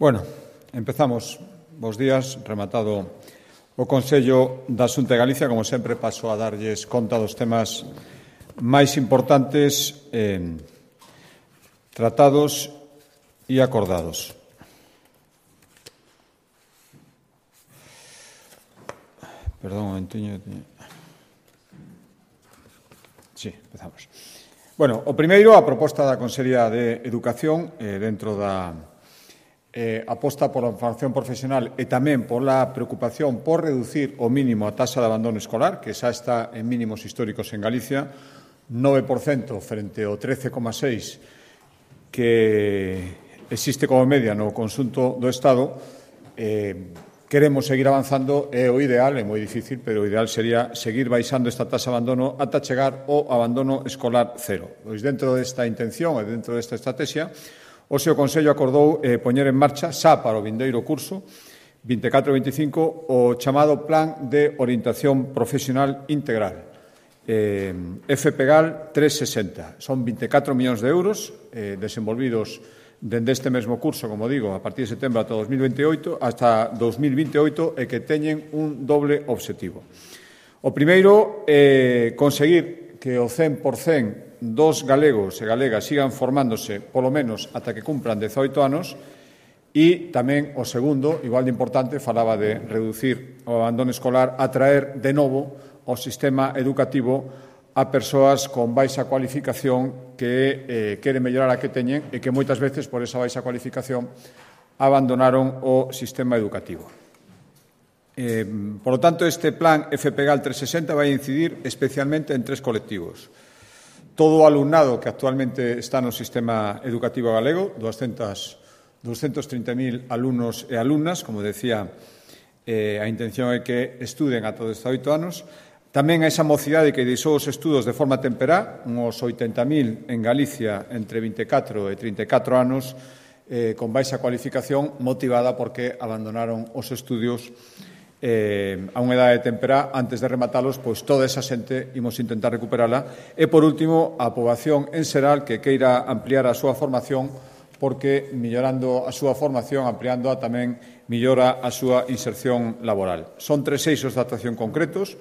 Bueno, empezamos. Bos días, rematado o Consello da Xunta de Galicia. Como sempre, paso a darlles conta dos temas máis importantes tratados e acordados. Perdón, un momentiño. Sí, empezamos. Bueno, o primeiro, a proposta da Consellería de Educación dentro da aposta pola formación profesional e tamén pola preocupación por reducir o mínimo a taxa de abandono escolar, que xa está en mínimos históricos en Galicia, 9% frente ao 13,6% que existe como media no conxunto do Estado. Queremos seguir avanzando, é o ideal, é moi difícil, pero o ideal sería seguir baixando esta taxa de abandono ata chegar ao abandono escolar cero. Pois dentro desta intención e dentro desta estrategia, o seu Consello acordou poñer en marcha xa para o vindeiro curso 24-25 o chamado Plan de Orientación Profesional Integral, FPGAL 360. Son 24 millóns de euros desenvolvidos dende este mesmo curso, como digo, a partir de setembro ata 2028 e que teñen un doble obxectivo. O primeiro, conseguir que o 100% dos galegos e galegas sigan formándose polo menos ata que cumpran 18 anos e tamén o segundo, igual de importante, falaba de reducir o abandono escolar, atraer de novo ao sistema educativo a persoas con baixa cualificación que queren mellorar a que teñen e que moitas veces por esa baixa cualificación abandonaron o sistema educativo. Por lo tanto, este plan FPGAL 360 vai incidir especialmente en tres colectivos. Todo o alumnado que actualmente está no sistema educativo galego, 230.000 alumnos e alumnas, como decía, a intención é que estuden ata 18 anos. Tamén a esa mocidade que deixou os estudos de forma temperá, uns 80.000 en Galicia entre 24 e 34 anos, con baixa cualificación, motivada porque abandonaron os estudios a unha edade temperá. Antes de rematalos, pois toda esa xente imos intentar recuperala. E, por último, a poboación en xeral que queira ampliar a súa formación, porque mellorando a súa formación, ampliándoa, tamén mellora a súa inserción laboral. Son tres eixos de actuación concretos.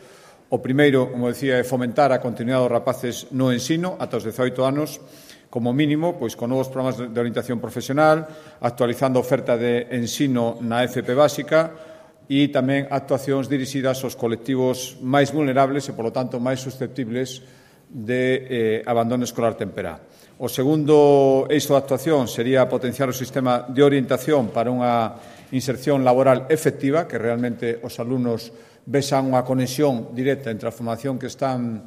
O primeiro, como decía, é fomentar a continuidade dos rapaces no ensino ata os 18 anos, como mínimo, pois con novos programas de orientación profesional, actualizando a oferta de ensino na FP básica e tamén actuacións dirixidas aos colectivos máis vulnerables e, polo tanto, máis susceptibles de abandono escolar temperá. O segundo eixo de actuación sería potenciar o sistema de orientación para unha inserción laboral efectiva, que realmente os alumnos vexan unha conexión directa entre a formación que están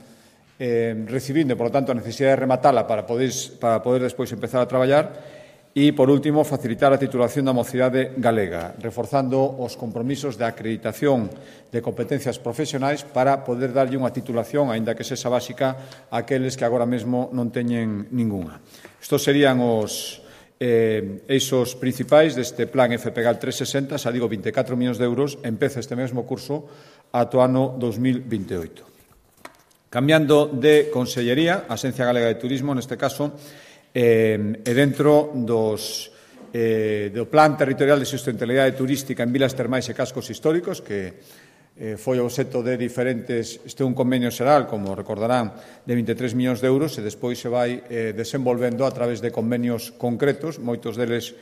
recibindo e, por lo tanto, a necesidade de rematala para poder despois empezar a traballar. E, por último, facilitar a titulación da mocidade galega, reforzando os compromisos de acreditación de competencias profesionais para poder darlle unha titulación, aínda que sexa básica, a aqueles que agora mesmo non teñen ningunha. Estos serían os eixos principais deste plan FPGAL 360, xa digo, 24 millóns de euros, empeza este mesmo curso ata o ano 2028. Cambiando de consellería, a Axencia Galega de Turismo, neste caso, e dentro do Plan Territorial de Sustentabilidade Turística en Vilas Termais e Cascos Históricos, que foi obxecto de diferentes, un convenio xeral, como recordarán, de 23 millóns de euros, e despois se vai desenvolvendo a través de convenios concretos. Moitos deles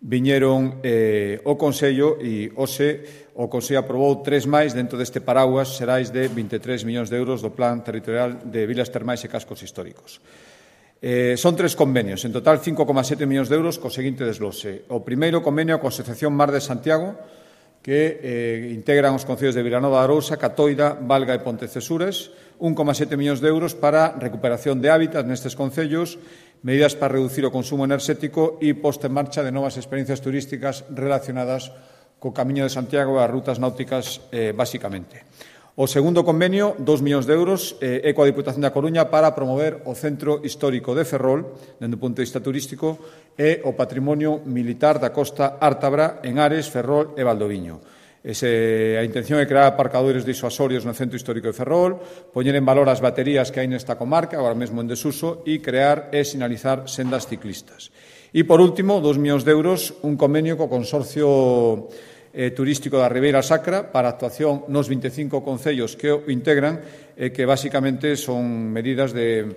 viñeron o Consello e hoxe o Consello aprobou tres máis dentro deste paraguas xerais de 23 millóns de euros do Plan Territorial de Vilas Termais e Cascos Históricos. Son tres convenios, en total 5,7 millóns de euros co seguinte desglose. O primeiro convenio coa Asociación Mar de Santiago, que integran os concellos de Vilanova de Arousa, Catoira, Valga e Pontecesures, 1,7 millóns de euros para recuperación de hábitats nestes concellos, medidas para reducir o consumo enerxético e posta en marcha de novas experiencias turísticas relacionadas co Camiño de Santiago e as rutas náuticas, basicamente. O segundo convenio, 2 millóns de euros, é coa Diputación da Coruña para promover o Centro Histórico de Ferrol, dende o punto de vista turístico, e o patrimonio militar da Costa Ártabra en Ares, Ferrol e Valdoviño. A intención é crear aparcadoiros disuasorios no Centro Histórico de Ferrol, poñer en valor as baterías que hai nesta comarca, agora mesmo en desuso, e crear e sinalizar sendas ciclistas. E, por último, 2 millóns de euros, un convenio co Consorcio Turístico da Ribeira Sacra para actuación nos 25 concellos que o integran, que basicamente son medidas de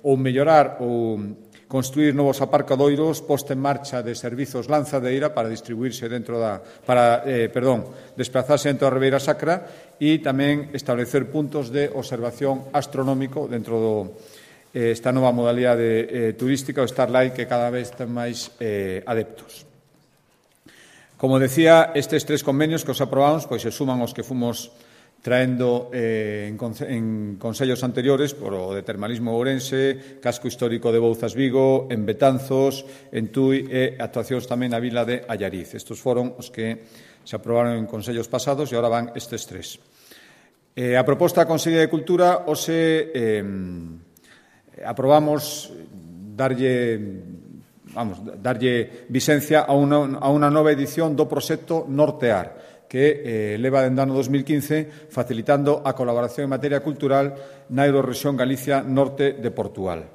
ou mellorar ou construir novos aparcadoiros, posta en marcha de servizos lanzadeira para distribuirse desplazarse dentro da Ribeira Sacra e tamén establecer puntos de observación astronómico dentro esta nova modalidade turística, o Starlight, que cada vez ten máis adeptos. Como decía, estes 3 convenios que os aprobamos pois se suman aos que fomos traendo en consellos anteriores por o de Termalismo Ourense, Casco Histórico de Bouzas Vigo, en Betanzos, en Tui e actuacións tamén na vila de Allariz. Estes foron os que se aprobaron en consellos pasados e agora van estes 3. A proposta da Consellería de Cultura aprobamos darlle vixencia a unha nova edición do proxecto Nortear, que leva dende o ano 2015 facilitando a colaboración en materia cultural na Eurorrexión Galicia Norte de Portugal.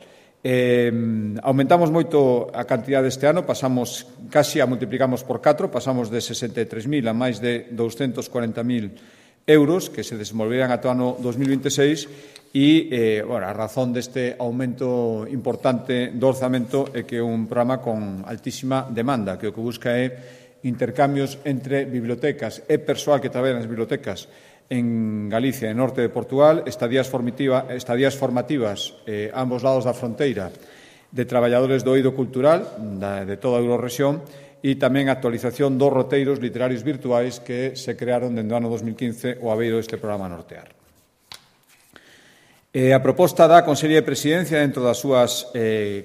Aumentamos moito a cantidade este ano, casi a multiplicamos por 4, pasamos de 63.000 a máis de 240.000 euros que se desenvolverán ata o ano 2026 e a razón deste aumento importante do orzamento é que é un programa con altísima demanda, que o que busca é intercambios entre bibliotecas e persoal que traballa nas bibliotecas en Galicia e norte de Portugal, estadías formativas a ambos lados da fronteira de traballadores do eido cultural de toda a Eurorrexión e tamén a actualización dos roteiros literarios virtuais que se crearon dende o ano 2015 o abeiro deste programa Nortear. A proposta da Consellería de Presidencia dentro das súas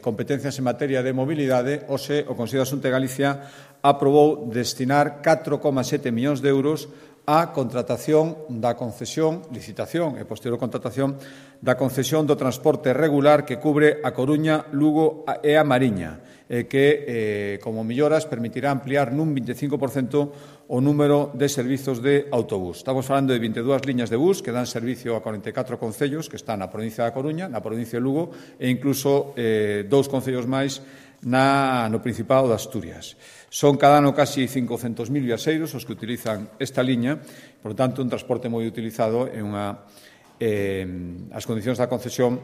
competencias en materia de mobilidade, o Consello de Xunta de Galicia aprobou destinar 4,7 millóns de euros á contratación da concesión, licitación e posterior contratación da concesión do transporte regular que cubre a Coruña, Lugo e a Mariña, que, como melloras, permitirá ampliar nun 25% o número de servizos de autobús. Estamos falando de 22 liñas de bus que dan servicio a 44 concellos que están na provincia da Coruña, na provincia de Lugo e incluso 2 concellos máis no Principado de Asturias. Son cada ano casi 500.000 viaxeiros os que utilizan esta liña, por tanto, un transporte moi utilizado e as condicións da concesión.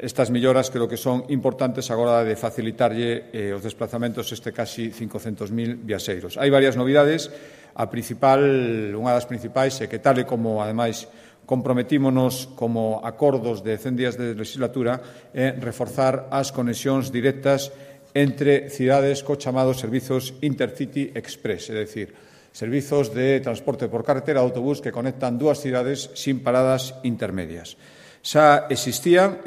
Estas melloras creo que son importantes agora de facilitarlle os desplazamentos casi 500.000 viaxeiros. Hai varias novidades. Unha das principais é que, tal e como, ademais, comprometímonos como acordos de 100 días de legislatura, é reforzar as conexións directas entre cidades co chamados servizos Intercity Express, é dicir, servizos de transporte por carretera de autobús que conectan dúas cidades sin paradas intermedias. Xa existían,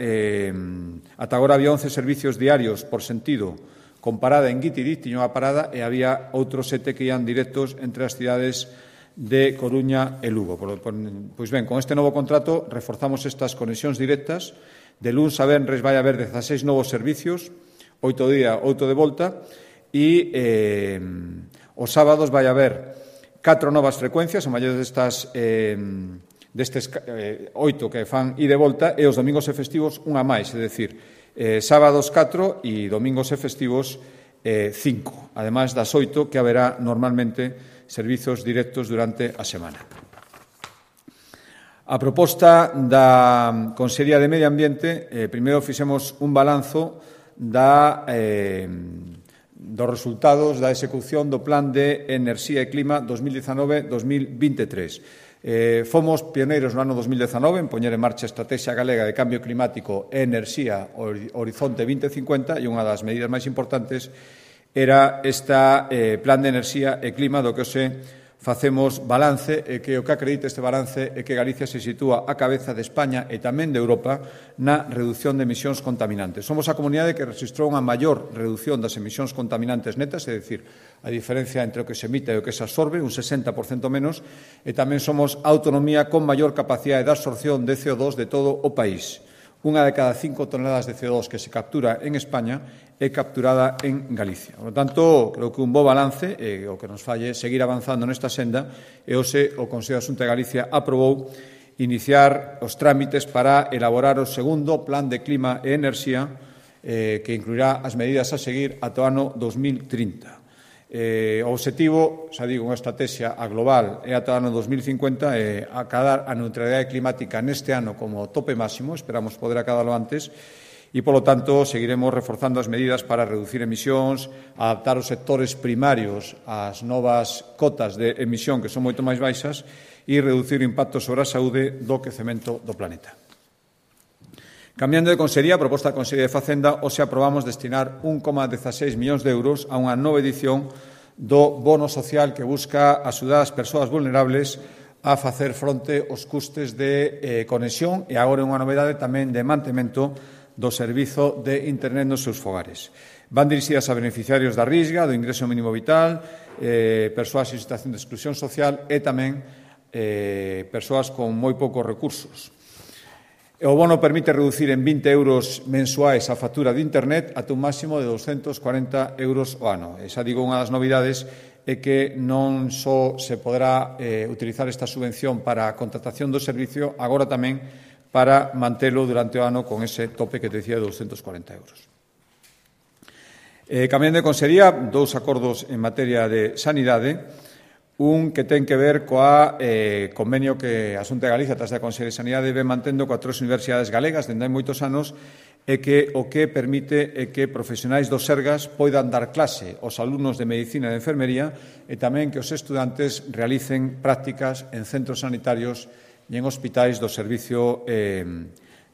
ata agora había 11 servicios diarios por sentido con parada en Guitiriz, tiña unha parada, e había outros 7 que ian directos entre as cidades de Coruña e Lugo. Pois ben, con este novo contrato reforzamos estas conexións directas. De luns a venres vai haber 16 novos servicios, 8 de ida, 8 de volta, e os sábados vai haber 4 novas frecuencias, a maior destes 8 que fan ida e volta, e os domingos e festivos unha máis, é dicir, sábados 4 e domingos e festivos 5, ademais das 8 que haberá normalmente servizos directos durante a semana. A proposta da Consellería de Medio Ambiente, primeiro fixemos un balanzo dos resultados da execución do Plan de Enerxía e Clima 2019-2023. Fomos pioneiros no ano 2019 en poñer en marcha a Estrategia Galega de Cambio Climático e Enerxía Horizonte 2050 e unha das medidas máis importantes era este Plan de Enerxía e Clima do que hoxe facemos balance e que o que acredita este balance é que Galicia se sitúa á cabeza de España e tamén de Europa na reducción de emisións contaminantes. Somos a comunidade que rexistrou unha maior reducción das emisións contaminantes netas, é dicir, a diferencia entre o que se emite e o que se absorbe, un 60% menos, e tamén somos a autonomía con maior capacidade de absorción de CO2 de todo o país. Unha de cada 5 toneladas de CO2 que se captura en España é capturada en Galicia. Por lo tanto, creo que un bo balance e o que nos falle seguir avanzando nesta senda e hoxe o Consello de Xunta de Galicia aprobou iniciar os trámites para elaborar o segundo Plan de Clima e Enerxía que incluirá as medidas a seguir ata o ano 2030. O obxectivo, xa digo, unha estrategia a global é ata o ano 2050 e acadar a neutralidade climática neste ano como tope máximo, esperamos poder acadalo antes, e, polo tanto, seguiremos reforzando as medidas para reducir emisións, adaptar os sectores primarios ás novas cotas de emisión que son moito máis baixas e reducir o impacto sobre a saúde do quecemento do planeta. Cambiando de consellería, a proposta da Consellería de Facenda, hoxe aprobamos destinar 1,16 millóns de euros a unha nova edición do bono social que busca axudar as persoas vulnerables a facer fronte aos custes de conexión e agora unha novedade tamén de mantemento do servizo de Internet nos seus fogares. Van dirixidas a beneficiarios da Risga, do ingreso mínimo vital, persoas en situación de exclusión social e tamén persoas con moi poucos recursos. O bono permite reducir en 20 euros mensuais a factura de Internet ata un máximo de 240 euros ao ano. Esa, digo, unha das novidades é que non só se poderá utilizar esta subvención para a contratación do servicio, agora tamén para mantelo durante o ano con ese tope que te decía de 240 euros. Cambiando de consellería, dous acordos en materia de sanidade. Un que ten que ver coa convenio que a Xunta de Galicia, tras da Consellería de Sanidade, ven mantendo coa tres universidades galegas dende hai moitos anos e que o que permite é que profesionais do Sergas poidan dar clase aos alumnos de Medicina e de Enfermería e tamén que os estudantes realicen prácticas en centros sanitarios e en hospitais do Servicio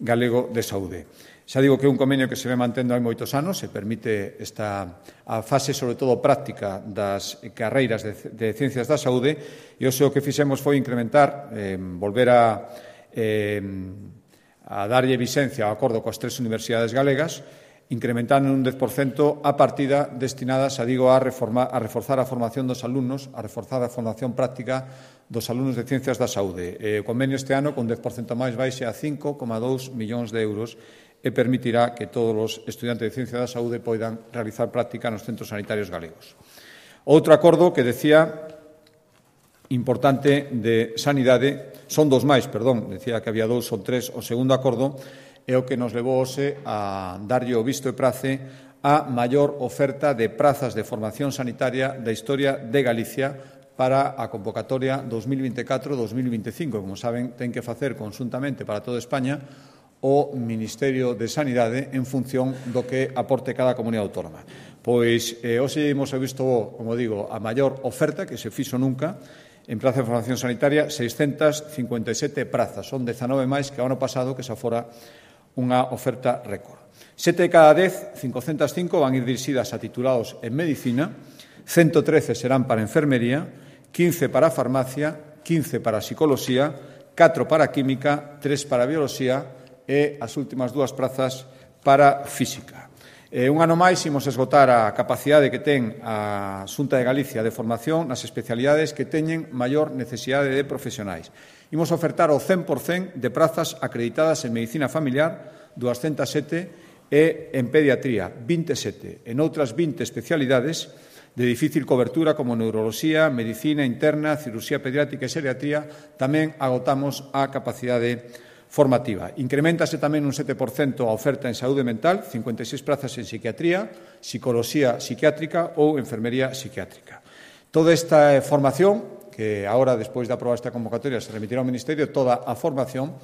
Galego de Saúde. Xa digo que é un convenio que se ve mantendo hai moitos anos e permite a fase, sobre todo, práctica das carreiras de Ciencias da Saúde e o que fixemos foi incrementar, volver a darlle vixencia ao acordo coas tres universidades galegas, incrementando un 10% a partida destinada, xa digo, a reforzar a formación dos alumnos, a reforzar a formación práctica dos alumnos de Ciencias da Saúde. O convenio este ano, con 10% máis, baixe a 5,2 millóns de euros e permitirá que todos os estudantes de Ciencia da Saúde poidan realizar práctica nos centros sanitarios galegos. Outro acordo que decía importante de sanidade, son dous máis, decía que había dous, son tres, o segundo acordo é o que nos levou hoxe a darlle o visto e prace a maior oferta de prazas de formación sanitaria da historia de Galicia para a convocatoria 2024-2025. Como saben, ten que facer conxuntamente para toda España o Ministerio de Sanidade en función do que aporte cada comunidade autónoma. Pois hoxe imos visto, como digo, a maior oferta que se fixo nunca en praza de formación sanitaria, 657 prazas. Son 19 máis que o ano pasado, que xa fora unha oferta récord. 7 de cada 10, 505, van ir dirixidas a titulados en Medicina, 113 serán para Enfermería, 15 para Farmacia, 15 para Psicoloxía, 4 para Química, 3 para Bioloxía e as últimas dúas prazas para Física. Un ano máis imos esgotar a capacidade que ten a Xunta de Galicia de formación nas especialidades que teñen maior necesidade de profesionais. Imos ofertar o 100% de prazas acreditadas en Medicina Familiar, 207, e en Pediatría, 27. En outras 20 especialidades de difícil cobertura como Neuroloxía, Medicina Interna, Cirurxía Pediátrica e Xeriatría, tamén agotamos a capacidade formativa. Increméntase tamén un 7% a oferta en saúde mental, 56 prazas en psiquiatría, psicoloxía psiquiátrica ou enfermería psiquiátrica. Toda esta formación, que agora, despois de aprobar esta convocatoria, se remitirá ao Ministerio, toda a formación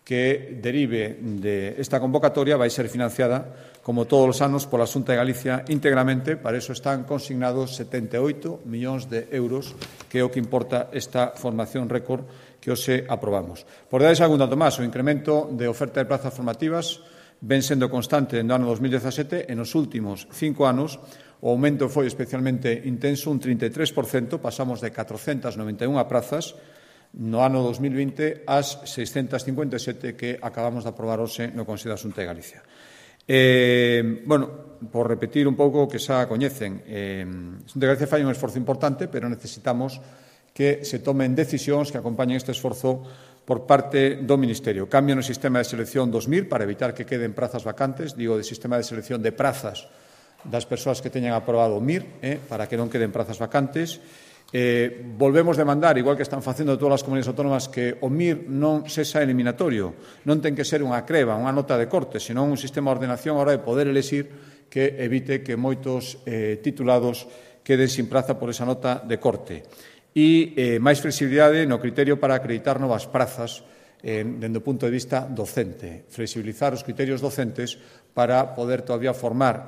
que derive de esta convocatoria vai ser financiada, como todos os anos, pola Xunta de Galicia íntegramente. Para iso están consignados 78 millóns de euros, que é o que importa esta formación récord que hoxe aprobamos. Por dar algún dato máis, o incremento de oferta de plazas formativas ven sendo constante no ano 2017 e nos últimos 5 anos o aumento foi especialmente intenso, un 33%, pasamos de 491 prazas no ano 2020 ás 657 que acabamos de aprobar hoxe no Consello da Xunta de Galicia. Por repetir un pouco o que xa coñecen, a Xunta de Galicia fai un esforzo importante, pero necesitamos que se tomen decisións que acompañen este esforzo por parte do Ministerio. Cambio no sistema de selección 2000 para evitar que queden prazas vacantes, digo, de sistema de selección de prazas das persoas que teñan aprobado o MIR, para que non queden prazas vacantes. Volvemos demandar, igual que están facendo todas as comunidades autónomas, que o MIR non sexa eliminatorio, non ten que ser unha creba, unha nota de corte, senón un sistema de ordenación a hora de poder elexir que evite que moitos titulados queden sin praza por esa nota de corte. E máis flexibilidade no criterio para acreditar novas prazas dende o punto de vista docente, flexibilizar os criterios docentes para poder todavía formar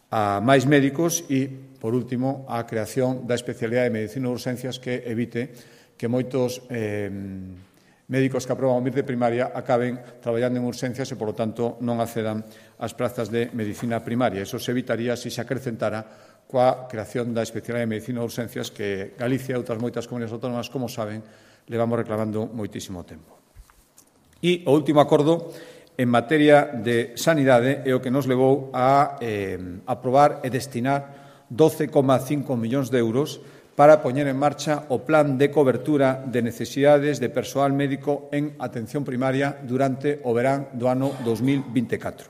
a máis médicos e, por último, a creación da especialidade de medicina de urxencias que evite que moitos médicos que aproban o MIR de primaria acaben traballando en urxencias e, por lo tanto, non accedan ás prazas de medicina primaria. Eso se evitaría se acrecentara coa creación da especialidade de medicina de urxencias que Galicia e outras moitas comunidades autónomas, como saben, levamos reclamando moitísimo tempo. E o último acordo en materia de sanidade é o que nos levou a aprobar e destinar 12,5 millóns de euros para poñer en marcha o plan de cobertura de necesidades de persoal médico en atención primaria durante o verán do ano 2024.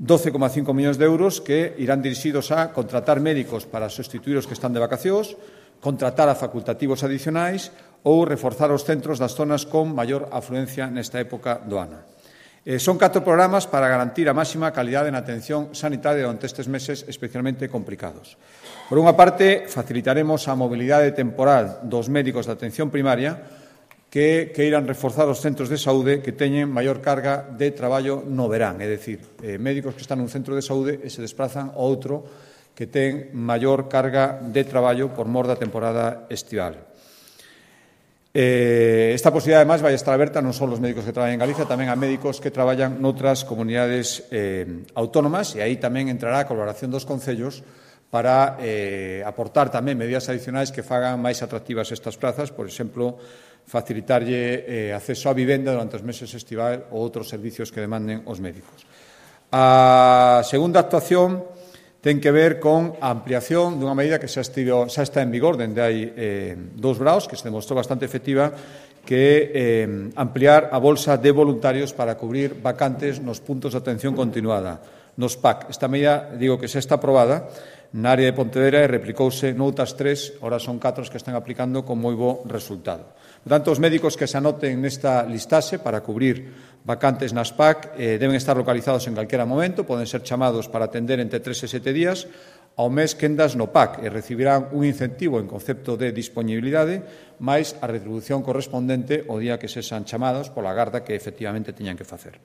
12,5 millóns de euros que irán dirixidos a contratar médicos para sustituir os que están de vacacións, contratar a facultativos adicionais ou reforzar os centros das zonas con maior afluencia nesta época do ano. Son 4 programas para garantir a máxima calidade na atención sanitaria durante estes meses especialmente complicados. Por unha parte, facilitaremos a mobilidade temporal dos médicos de atención primaria que queiran reforzar os centros de saúde que teñen maior carga de traballo no verán, é dicir, médicos que están nun centro de saúde e se desplazan a outro que ten maior carga de traballo por mor da temporada estival. Esta posibilidade, además, vai estar aberta non só aos médicos que traballan en Galicia, tamén a médicos que traballan noutras comunidades autónomas, e aí tamén entrará a colaboración dos concellos para aportar tamén medidas adicionais que fagan máis atractivas estas plazas, por exemplo, facilitarlle acceso á vivenda durante os meses estival ou outros servicios que demanden os médicos. A segunda actuación ten que ver con a ampliación dunha medida que xa está en vigor dende hai 2 braos, que se demostrou bastante efectiva, que é ampliar a bolsa de voluntarios para cubrir vacantes nos puntos de atención continuada, nos PAC. Esta medida, digo que xa está aprobada na área de Pontevedra e replicouse noutras 3, ahora son 4 que están aplicando con moi bo resultado. Por tanto, os médicos que se anoten nesta listaxe para cubrir vacantes nas PAC deben estar localizados en calquera momento, poden ser chamados para atender entre 3 e 7 días ao mes quendas no PAC e recibirán un incentivo en concepto de disponibilidade máis a retribución correspondente o día que sexan chamados pola garda que efectivamente teñan que facer.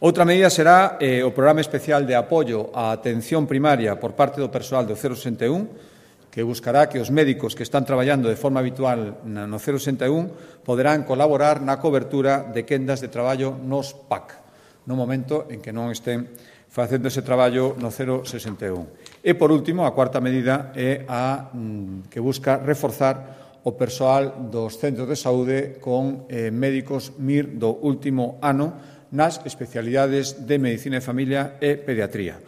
Outra medida será o programa especial de apoio á atención primaria por parte do persoal do 061, que buscará que os médicos que están traballando de forma habitual no 061 poderán colaborar na cobertura de quendas de traballo nos PAC, no momento en que non estén facendo ese traballo no 061. E, por último, a cuarta medida é a que busca reforzar o persoal dos centros de saúde con médicos MIR do último ano nas especialidades de medicina de familia e pediatría.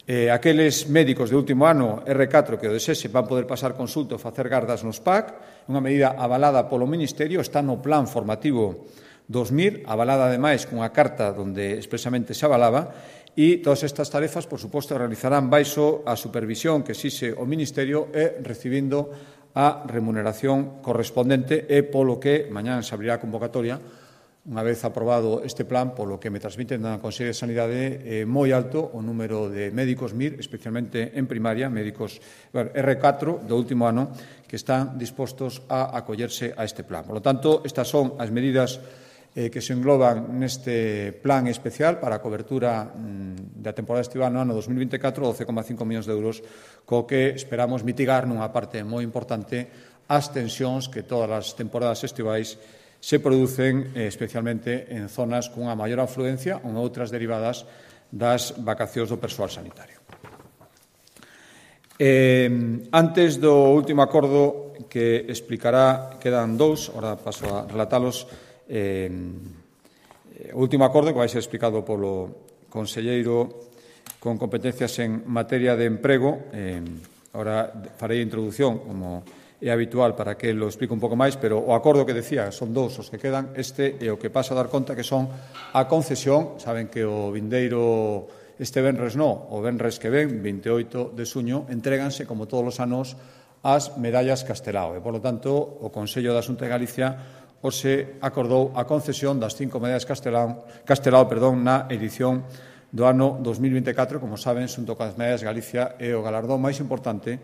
Aqueles médicos de último ano R4 que o desese van poder pasar consulta ou facer gardas nos PAC, unha medida avalada polo Ministerio, está no plan formativo 2000, avalada ademais cunha carta onde expresamente se avalaba, e todas estas tarefas, por suposto, realizarán baixo a supervisión que exixe o Ministerio e recibindo a remuneración correspondente e polo que mañán se abrirá a convocatoria. Unha vez aprobado este plan, polo que me transmiten da Consellería de Sanidade, moi alto o número de médicos MIR, especialmente en primaria, médicos R4 do último ano, que están dispostos a acollerse a este plan. Por lo tanto, estas son as medidas que se engloban neste plan especial para a cobertura da temporada estival no ano 2024, 12,5 millóns de euros, co que esperamos mitigar nunha parte moi importante as tensións que todas as temporadas estivais se producen especialmente en zonas cunha maior afluencia ou en outras derivadas das vacacións do persoal sanitario. Antes do último acordo que explicará, quedan 2, ahora paso a relatalos, o último acordo que vai ser explicado polo conselleiro con competencias en materia de emprego. Ahora farei a introdución como é habitual para que lo explique un pouco máis, pero o acordo que decía son 2 os que quedan, este e o que pasa a dar conta que son a concesión. Saben que o vindeiro este venres o venres que ven, 28 de xuño, entréganse, como todos os anos, as medallas Castelao. E, polo tanto, o Consello da Xunta de Galicia hoxe acordou a concesión das 5 medallas Castelao na edición do ano 2024, como saben, xunto coas medallas Galicia é o galardón máis importante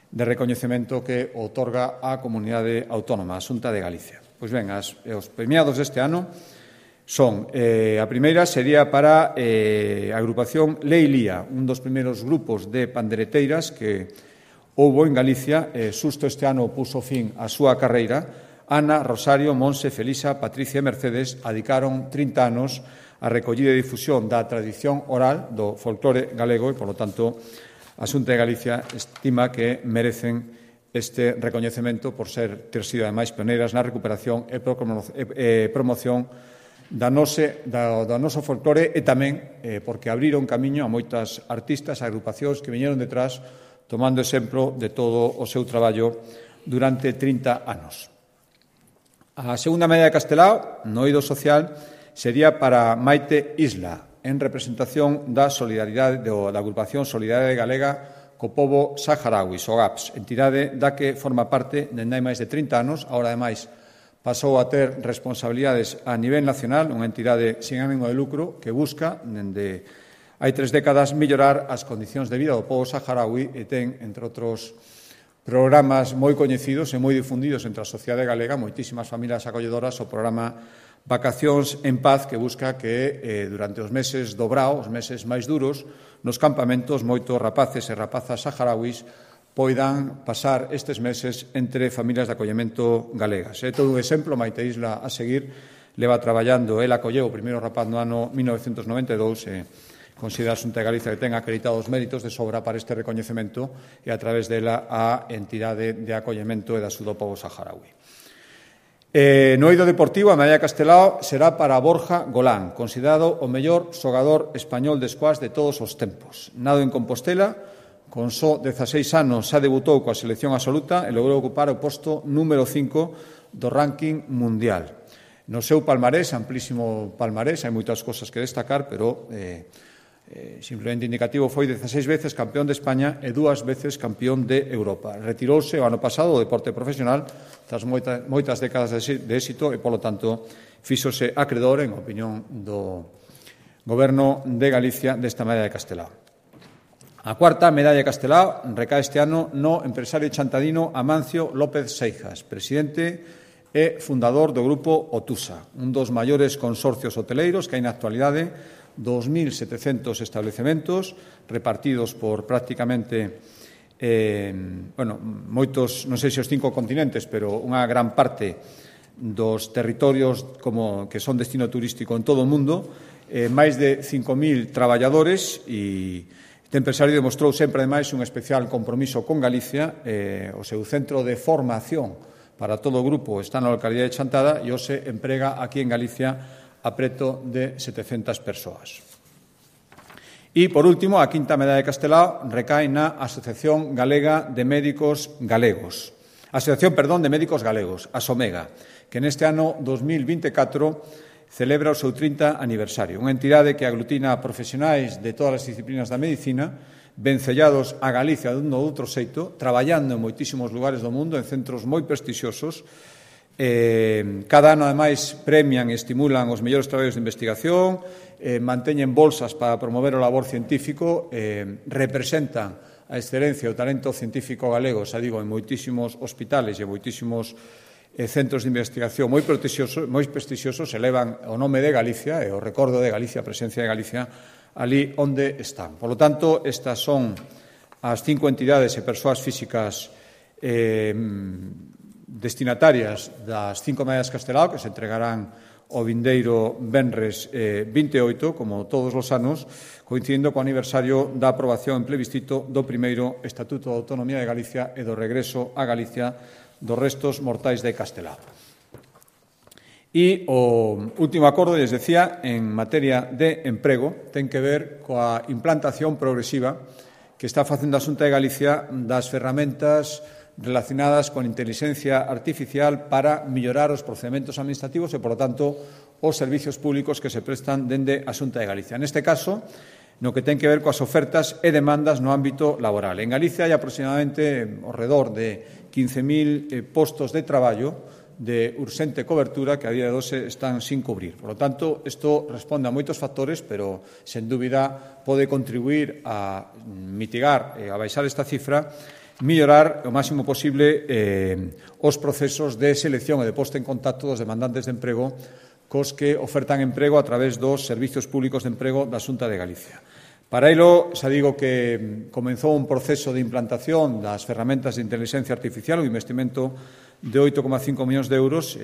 de recoñecemento que outorga a comunidade autónoma, a Xunta de Galicia. Pois ben, os premiados deste ano son, a primeira sería para a agrupación Leilía, un dos primeiros grupos de pandereteiras que houbo en Galicia, xusto este ano puso fin á súa carreira. Ana, Rosario, Monse, Felisa, Patricia e Mercedes adicaron 30 anos a recollida e difusión da tradición oral do folclore galego e, polo tanto, a Xunta de Galicia estima que merecen este recoñecemento por ter sido, ademais, pioneiras na recuperación e promoción do noso folclore e tamén porque abriron camiño a moitas artistas, agrupacións que viñeron detrás tomando exemplo de todo o seu traballo durante 30 anos. A segunda medalla de Castelao, no eido social, sería para Maite Isla, en representación da solidaridade da agrupación Solidaridade Galega co pobo saharaui, SOGAPS, entidade da que forma parte dende hai máis de 30 anos, agora, ademais, pasou a ter responsabilidades a nivel nacional, unha entidade sin ánimo de lucro que busca, dende hai 3 décadas, mellorar as condicións de vida do pobo saharaui e ten, entre outros programas moi coñecidos e moi difundidos entre a sociedade galega, moitísimas familias acolledoras, o programa Vacacións en Paz, que busca que durante os meses do brao, os meses máis duros, nos campamentos, moitos rapaces e rapazas saharauis poidan pasar estes meses entre familias de acollemento galegas. É todo un exemplo, Maite Isla a seguir, leva traballando, ela acolleu o primeiro rapaz no ano 1992 e considera a Xunta de Galicia que ten acreditado os méritos de sobra para este recoñecemento e a través dela a entidade de acollemento e da do pobo saharaui. No eido deportivo, a medalla Castelao será para Borja Golán, considerado o mellor xogador español de squash de todos os tempos. Nado en Compostela, con só 16 anos xa debutou coa selección absoluta e logrou ocupar o posto número 5 do ranking mundial. No seu palmarés, amplísimo palmarés, hai moitas cosas que destacar, pero simplemente indicativo, foi 16 veces campeón de España e 2 veces campeón de Europa. Retirouse o ano pasado do deporte profesional tras moitas décadas de éxito e, polo tanto, fíxose acredor, en opinión do Goberno de Galicia, desta medalla de Castelao. A cuarta medalla de Castelao recae este ano no empresario chantadino Amancio López Seijas, presidente e fundador do grupo Otusa, un dos maiores consorcios hoteleiros que hai na actualidade, 2.700 establecementos repartidos por prácticamente moitos, non sei se os 5 continentes, pero unha gran parte dos territorios que son destino turístico en todo o mundo, máis de 5.000 traballadores e este empresario demostrou sempre, ademais, un especial compromiso con Galicia. O seu centro de formación para todo o grupo está na localidade de Chantada e hoxe emprega aquí en Galicia a preto de 700 persoas. E, por último, a quinta medalla de Castelao recae na Asociación Galega de Médicos Galegos. De Médicos Galegos, a SOMEGA, que neste ano 2024 celebra o seu 30 aniversario. Unha entidade que aglutina a profesionais de todas as disciplinas da medicina, vencellados a Galicia dun ou outro xeito, traballando en moitísimos lugares do mundo, en centros moi prestixiosos. Cada ano, ademais, premian e estimulan os mellores traballos de investigación, manteñen bolsas para promover o labor científico, representan a excelencia e o talento científico galego, xa digo, en moitísimos hospitales e moitísimos centros de investigación moi prestixiosos, elevan o nome de Galicia e o recordo de Galicia, a presencia de Galicia, ali onde están. Por lo tanto, estas son as 5 entidades e persoas físicas destinatarias das 5 medallas Castelao, que se entregarán o vindeiro venres 28, como todos os anos, coincidindo co aniversario da aprobación en plebiscito do primeiro Estatuto de Autonomía de Galicia e do regreso a Galicia dos restos mortais de Castelao. E o último acordo, les decía, en materia de emprego, ten que ver coa implantación progresiva que está facendo a Xunta de Galicia das ferramentas relacionadas con inteligencia artificial para mellorar os procedementos administrativos e, por lo tanto, os servizos públicos que se prestan dende a Xunta de Galicia. Neste caso, no que ten que ver coas ofertas e demandas no ámbito laboral. En Galicia hai aproximadamente ao redor de 15.000 postos de traballo de urxente cobertura que a día de hoxe están sin cubrir. Por lo tanto, isto responde a moitos factores, pero, sen dúbida, pode contribuir a mitigar e a baixar esta cifra, mellorar o máximo posible os procesos de selección e de posta en contacto dos demandantes de emprego cos que ofertan emprego a través dos servizos públicos de emprego da Xunta de Galicia. Para elo, xa digo que comenzou un proceso de implantación das ferramentas de inteligencia artificial, un investimento de 8,5 millóns de euros.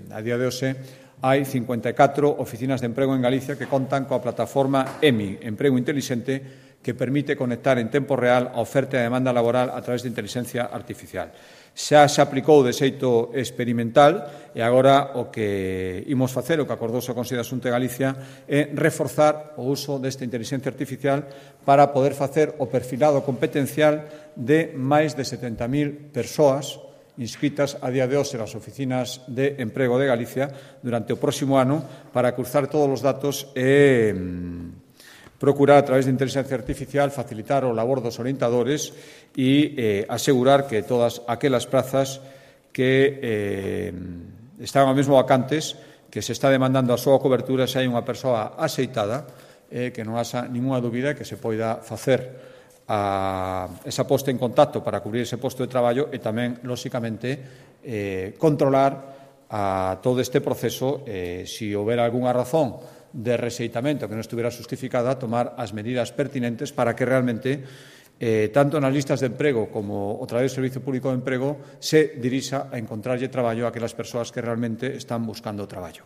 A día de hoxe hai 54 oficinas de emprego en Galicia que contan coa plataforma EMI, Emprego Intelixente, que permite conectar en tempo real a oferta e a demanda laboral a través de inteligencia artificial. Xa se aplicou de xeito experimental e agora o que imos facer, o que acordouse o Consello da Xunta de Galicia, é reforzar o uso desta inteligencia artificial para poder facer o perfilado competencial de máis de 70.000 persoas inscritas a día de hoxe nas oficinas de emprego de Galicia durante o próximo ano para cruzar todos os datos e procurar, a través de inteligencia artificial, facilitar o labor dos orientadores e asegurar que todas aquelas prazas que están ao mesmo vacantes, que se está demandando a súa cobertura, se hai unha persoa axeitada, que non haxa ninguna dúbida que se poida facer esa posta en contacto para cubrir ese posto de traballo e tamén, lóxicamente, controlar a todo este proceso, se houbera algunha razón de rexeitamento que non estuviera justificada, tomar as medidas pertinentes para que realmente, tanto nas listas de emprego como a través do Servicio Público de Emprego, se dirixa a encontrarlle traballo a aquelas persoas que realmente están buscando traballo.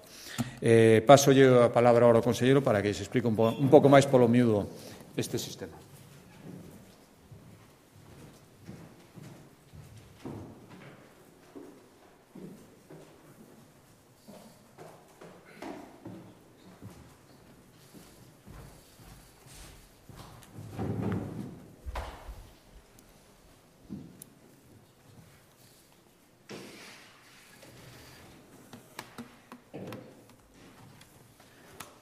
Pasolle a palabra agora ao conselleiro para que se explique un pouco máis polo miúdo este sistema.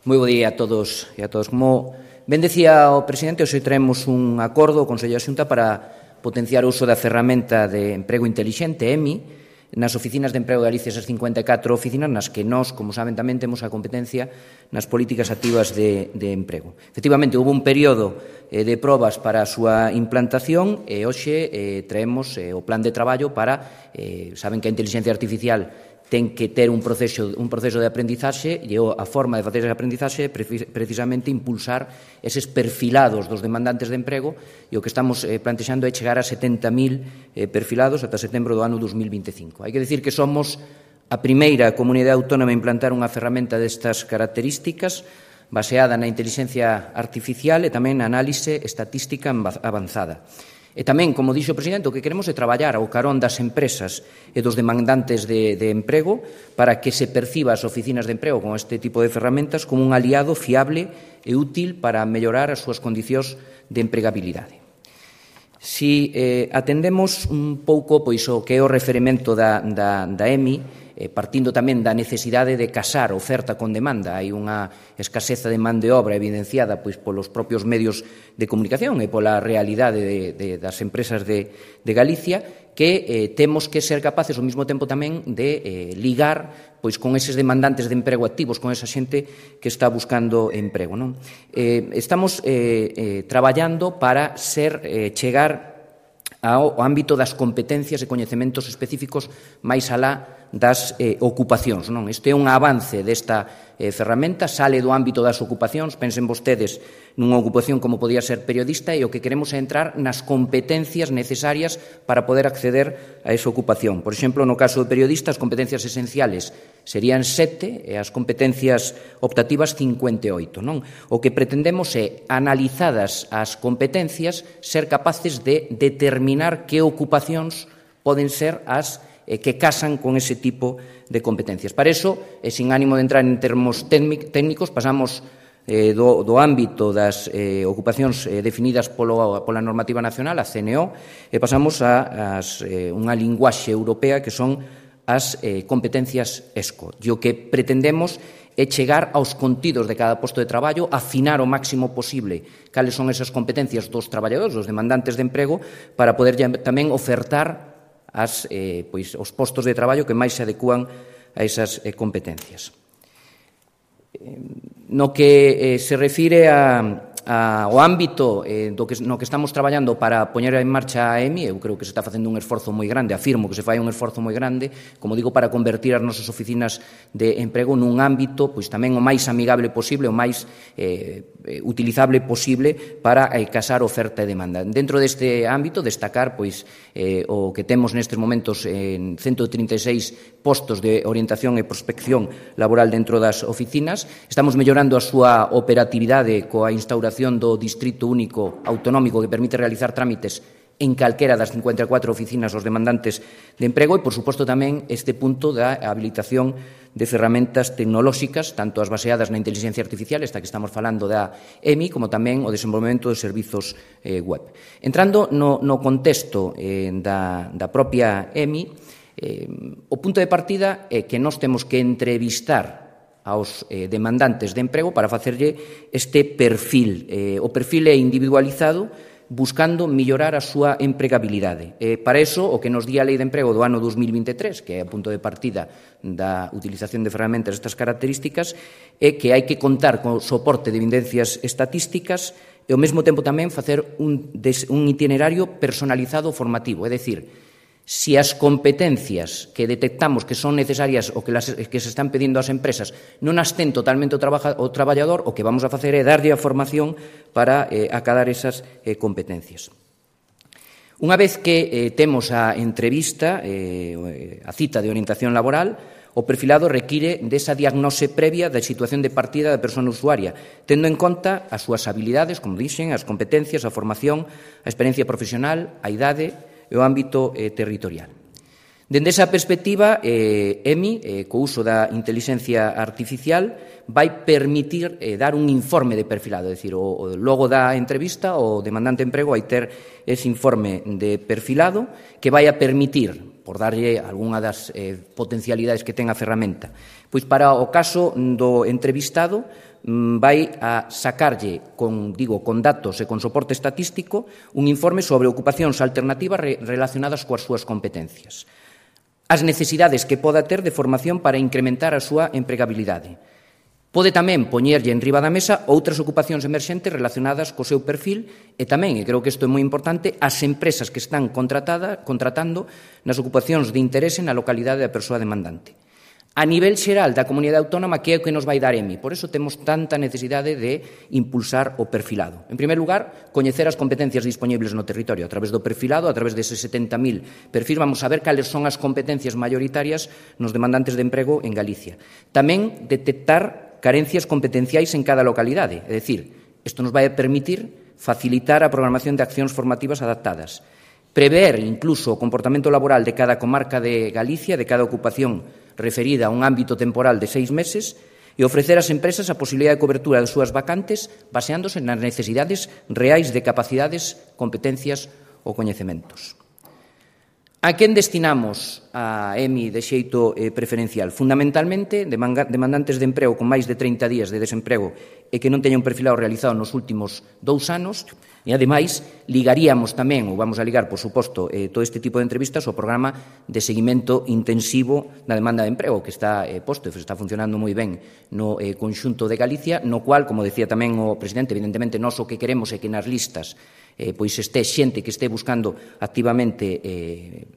Moi bo día a todos e a todos. Como ben decía o presidente, hoxe traemos un acordo ao Consello da Xunta para potenciar o uso da ferramenta de emprego intelixente, EMI, nas oficinas de emprego de Galicia, esas 54 oficinas nas que nós, como saben, tamén temos a competencia nas políticas activas de emprego. Efectivamente, houve un período de probas para a súa implantación e hoxe traemos o plan de traballo para, saben que a inteligencia artificial ten que ter un proceso de aprendizaxe e a forma de facer ese aprendizaxe é precisamente impulsar eses perfilados dos demandantes de emprego e o que estamos plantexando é chegar a 70.000 perfilados ata setembro do ano 2025. Hai que dicir que somos a primeira comunidade autónoma a implantar unha ferramenta destas características baseada na inteligencia artificial e tamén na análise estatística avanzada. E tamén, como dixo o presidente, o que queremos é traballar ao carón das empresas e dos demandantes de emprego para que se perciba as oficinas de emprego con este tipo de ferramentas como un aliado fiable e útil para mellorar as súas condicións de empregabilidade. Si atendemos un pouco pois o que é o referimento da EMI, partindo tamén da necesidade de casar oferta con demanda. Hai unha escaseza de man de obra evidenciada pois polos propios medios de comunicación e pola realidade das empresas de Galicia, que temos que ser capaces ao mesmo tempo tamén de ligar pois con eses demandantes de emprego activos, con esa xente que está buscando emprego. Non? Estamos traballando para chegar ao ámbito das competencias e coñecementos específicos máis alá das ocupacións. Non? Este é un avance desta ferramenta, sale do ámbito das ocupacións, pensen vostedes nunha ocupación como podía ser periodista e o que queremos é entrar nas competencias necesarias para poder acceder a esa ocupación. Por exemplo, no caso de periodista, as competencias esenciales serían 7 e as competencias optativas 58. Non? O que pretendemos é, analizadas as competencias, ser capaces de determinar que ocupacións poden ser as que casan con ese tipo de competencias. Para iso, e sin ánimo de entrar en termos técnicos, pasamos do ámbito das ocupacións definidas pola normativa nacional, a CNO, e pasamos a unha linguaxe europea que son as competencias ESCO. E o que pretendemos é chegar aos contidos de cada posto de traballo, afinar o máximo posible cales son esas competencias dos traballadores, dos demandantes de emprego, para poder tamén ofertar os postos de traballo que máis se adecúan a esas competencias. No que se refire ao ámbito no que estamos traballando para poñer en marcha a EMI, eu creo que se está facendo un esforzo moi grande, afirmo que se fai un esforzo moi grande, como digo, para convertir as nosas oficinas de emprego nun ámbito pois tamén o máis amigable posible, o máis utilizable posible para casar oferta e demanda. Dentro deste ámbito, destacar pois o que temos nestes momentos en 136 postos de orientación e prospección laboral dentro das oficinas. Estamos mellorando a súa operatividade coa instauración do Distrito Único Autonómico que permite realizar trámites en calquera das 54 oficinas aos demandantes de emprego e, por suposto, tamén este punto da habilitación de ferramentas tecnolóxicas, tanto as baseadas na inteligencia artificial, esta que estamos falando da EMI, como tamén o desenvolvemento de servizos web. Entrando no contexto da propia EMI, o punto de partida é que nós temos que entrevistar aos demandantes de emprego para facerlle este perfil. O perfil é individualizado buscando mellorar a súa empregabilidade. Para iso, o que nos di a Lei de Emprego do ano 2023, que é o punto de partida da utilización de ferramentas destas características, é que hai que contar con soporte de evidencias estatísticas e, ao mesmo tempo, tamén facer un itinerario personalizado formativo, é dicir, si as competencias que detectamos que son necesarias ou que se están pedindo ás empresas non as ten totalmente o traballador, o que vamos a facer é darlle a formación para acadar esas competencias. Unha vez que temos a entrevista, a cita de orientación laboral, o perfilado require desa diagnose previa da situación de partida da persoa usuaria, tendo en conta as súas habilidades, como dixen, as competencias, a formación, a experiencia profesional, a idade e o ámbito territorial. Dende esa perspectiva, EMI, co uso da inteligencia artificial, vai permitir dar un informe de perfilado, é dicir, logo da entrevista, o demandante de emprego vai ter ese informe de perfilado que vai a permitir, por darlle algunha das potencialidades que ten a ferramenta, pois para o caso do entrevistado, vai a sacarlle con datos e con soporte estatístico un informe sobre ocupacións alternativas relacionadas coas súas competencias, as necesidades que poda ter de formación para incrementar a súa empregabilidade. Pode tamén poñerlle en riba da mesa outras ocupacións emerxentes relacionadas co seu perfil e tamén, e creo que isto é moi importante, as empresas que están contratando nas ocupacións de interese na localidade da persoa demandante. A nivel xeral da comunidade autónoma, que é o que nos vai dar EMI. Por iso temos tanta necesidade de impulsar o perfilado. En primeiro lugar, coñecer as competencias disponibles no territorio. A través do perfilado, a través deses 70.000 perfis, vamos a ver cales son as competencias maioritarias nos demandantes de emprego en Galicia. Tamén detectar carencias competenciais en cada localidade. É dicir, isto nos vai a permitir facilitar a programación de accións formativas adaptadas. Prever incluso o comportamento laboral de cada comarca de Galicia, de cada ocupación referida a un ámbito temporal de 6 meses e ofrecer ás empresas a posibilidade de cobertura das súas vacantes baseándose nas necesidades reais de capacidades, competencias ou coñecementos. A quen destinamos a EMI de xeito preferencial? Fundamentalmente, demandantes de emprego con máis de 30 días de desemprego e que non teñan un perfilado realizado nos últimos 2 anos, e, ademais, ligaríamos tamén, ou vamos a ligar, por suposto, todo este tipo de entrevistas ao programa de seguimento intensivo da demanda de emprego, que está posto e está funcionando moi ben no conxunto de Galicia, no cual, como decía tamén o presidente, evidentemente, nós o que queremos é que nas listas pois este xente que este buscando activamente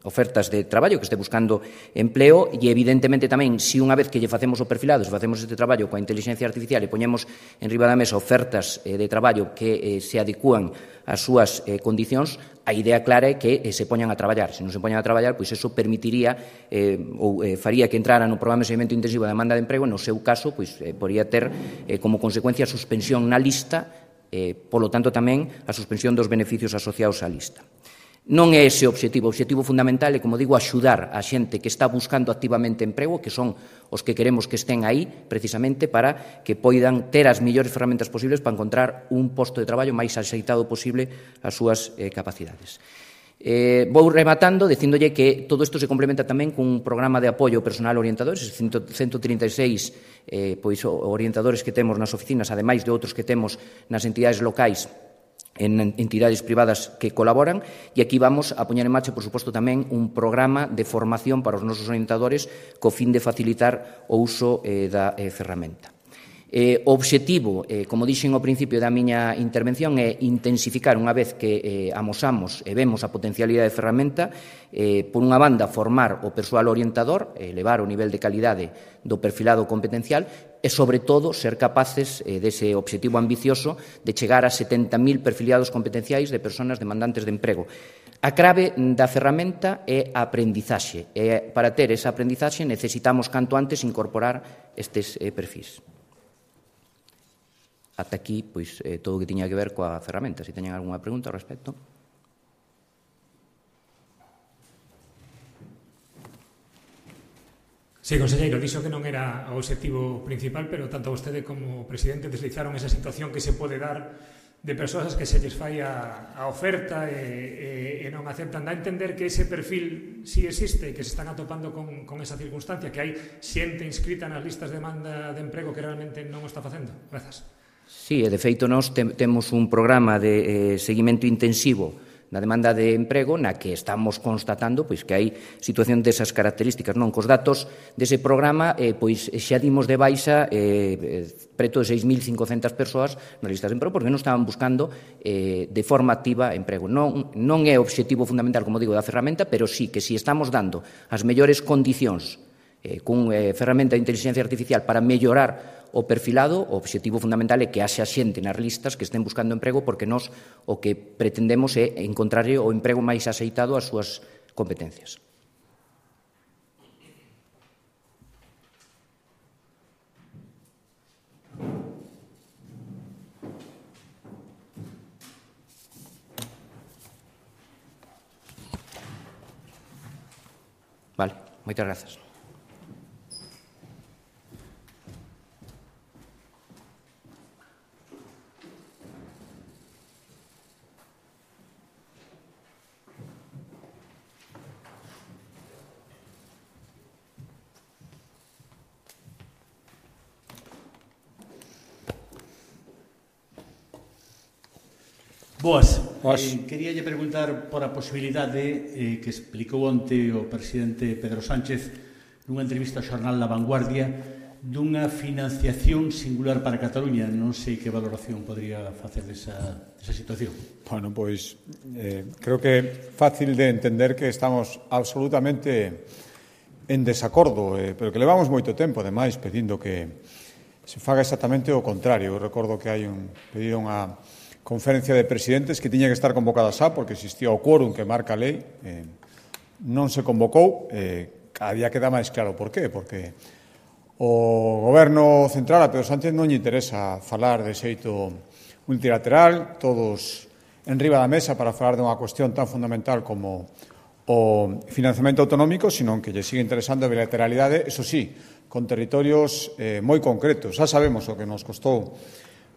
ofertas de traballo, que este buscando empleo, e evidentemente tamén, se unha vez que lle facemos o perfilado, se facemos este traballo coa inteligencia artificial e poñemos en riba da mesa ofertas de traballo que se adecúan ás súas condicións, a idea clara é que se poñan a traballar. Se non se poñan a traballar, pois eso permitiría ou faría que entrara no programa de seguimento intensivo da demanda de emprego, no seu caso, pois podría ter como consecuencia a suspensión na lista, polo tanto tamén a suspensión dos beneficios asociados á lista. Non é ese o objetivo fundamental é, como digo, axudar a xente que está buscando activamente emprego, que son os que queremos que estén aí precisamente para que poidan ter as mellores ferramentas posibles para encontrar un posto de traballo máis axeitado posible ás súas capacidades. Vou rematando dicíndolle que todo isto se complementa tamén cun programa de apoio ao personal orientador, eses 136 orientadores que temos nas oficinas, ademais de outros que temos nas entidades locais, en entidades privadas que colaboran, e aquí vamos a poñer en marcha, por suposto, tamén un programa de formación para os nosos orientadores co fin de facilitar o uso da ferramenta. O obxectivo, como dixen ao principio da miña intervención, é intensificar unha vez que amosamos e vemos a potencialidade de ferramenta, por unha banda, formar o persoal orientador, elevar o nivel de calidade do perfilado competencial e, sobre todo, ser capaces dese obxectivo ambicioso de chegar a 70.000 perfiliados competenciais de persoas demandantes de emprego. A clave da ferramenta é a aprendizaxe, e para ter esa aprendizaxe necesitamos canto antes incorporar estes perfis. Ata aquí, pois, todo o que tiña que ver coa ferramenta. Se teñen algunha pregunta ao respecto. Sí, conselleiro, dixo que non era o obxectivo principal, pero tanto vostede como o presidente deslizaron esa situación que se pode dar de persoas que se lles fai a oferta e non aceptan. Dá a entender que ese perfil sí existe, que se están atopando con esa circunstancia, que hai xente inscrita nas listas de demanda de emprego que realmente non o está facendo. Grazas. Sí, e de feito nós temos un programa de seguimento intensivo na demanda de emprego na que estamos constatando pois que hai situación desas características. Non, cos datos dese programa pois xa dimos de baixa preto de 6.500 persoas nas listas de emprego porque non estaban buscando de forma activa emprego. Non é o obxectivo fundamental, como digo, da ferramenta, pero sí que si estamos dando as mellores condicións cun ferramenta de inteligencia artificial para mellorar o perfilado, o obxectivo fundamental é que haxa xente nas listas que estén buscando emprego porque nós o que pretendemos é encontrar o emprego máis axeitado ás súas competencias. Vale, moitas grazas. Boas. Queríalle preguntar por a posibilidade que explicou onte o presidente Pedro Sánchez nunha entrevista ao xornal La Vanguardia dunha financiación singular para Cataluña. Non sei que valoración podría facer desa situación. Bueno, pois creo que é fácil de entender que estamos absolutamente en desacordo, pero que levamos moito tempo, ademais, pedindo que se faga exactamente o contrario. Eu recordo que pedido unha conferencia de presidentes que tiña que estar convocada xa porque existía o quórum que marca a lei, non se convocou, cada día queda máis claro por qué, porque o Goberno central a Pedro Sánchez non lle interesa falar de xeito multilateral, todos en riba da mesa para falar de unha cuestión tan fundamental como o financiamento autonómico, sino que lle sigue interesando a bilateralidade, eso sí, con territorios moi concretos. Xa sabemos o que nos costou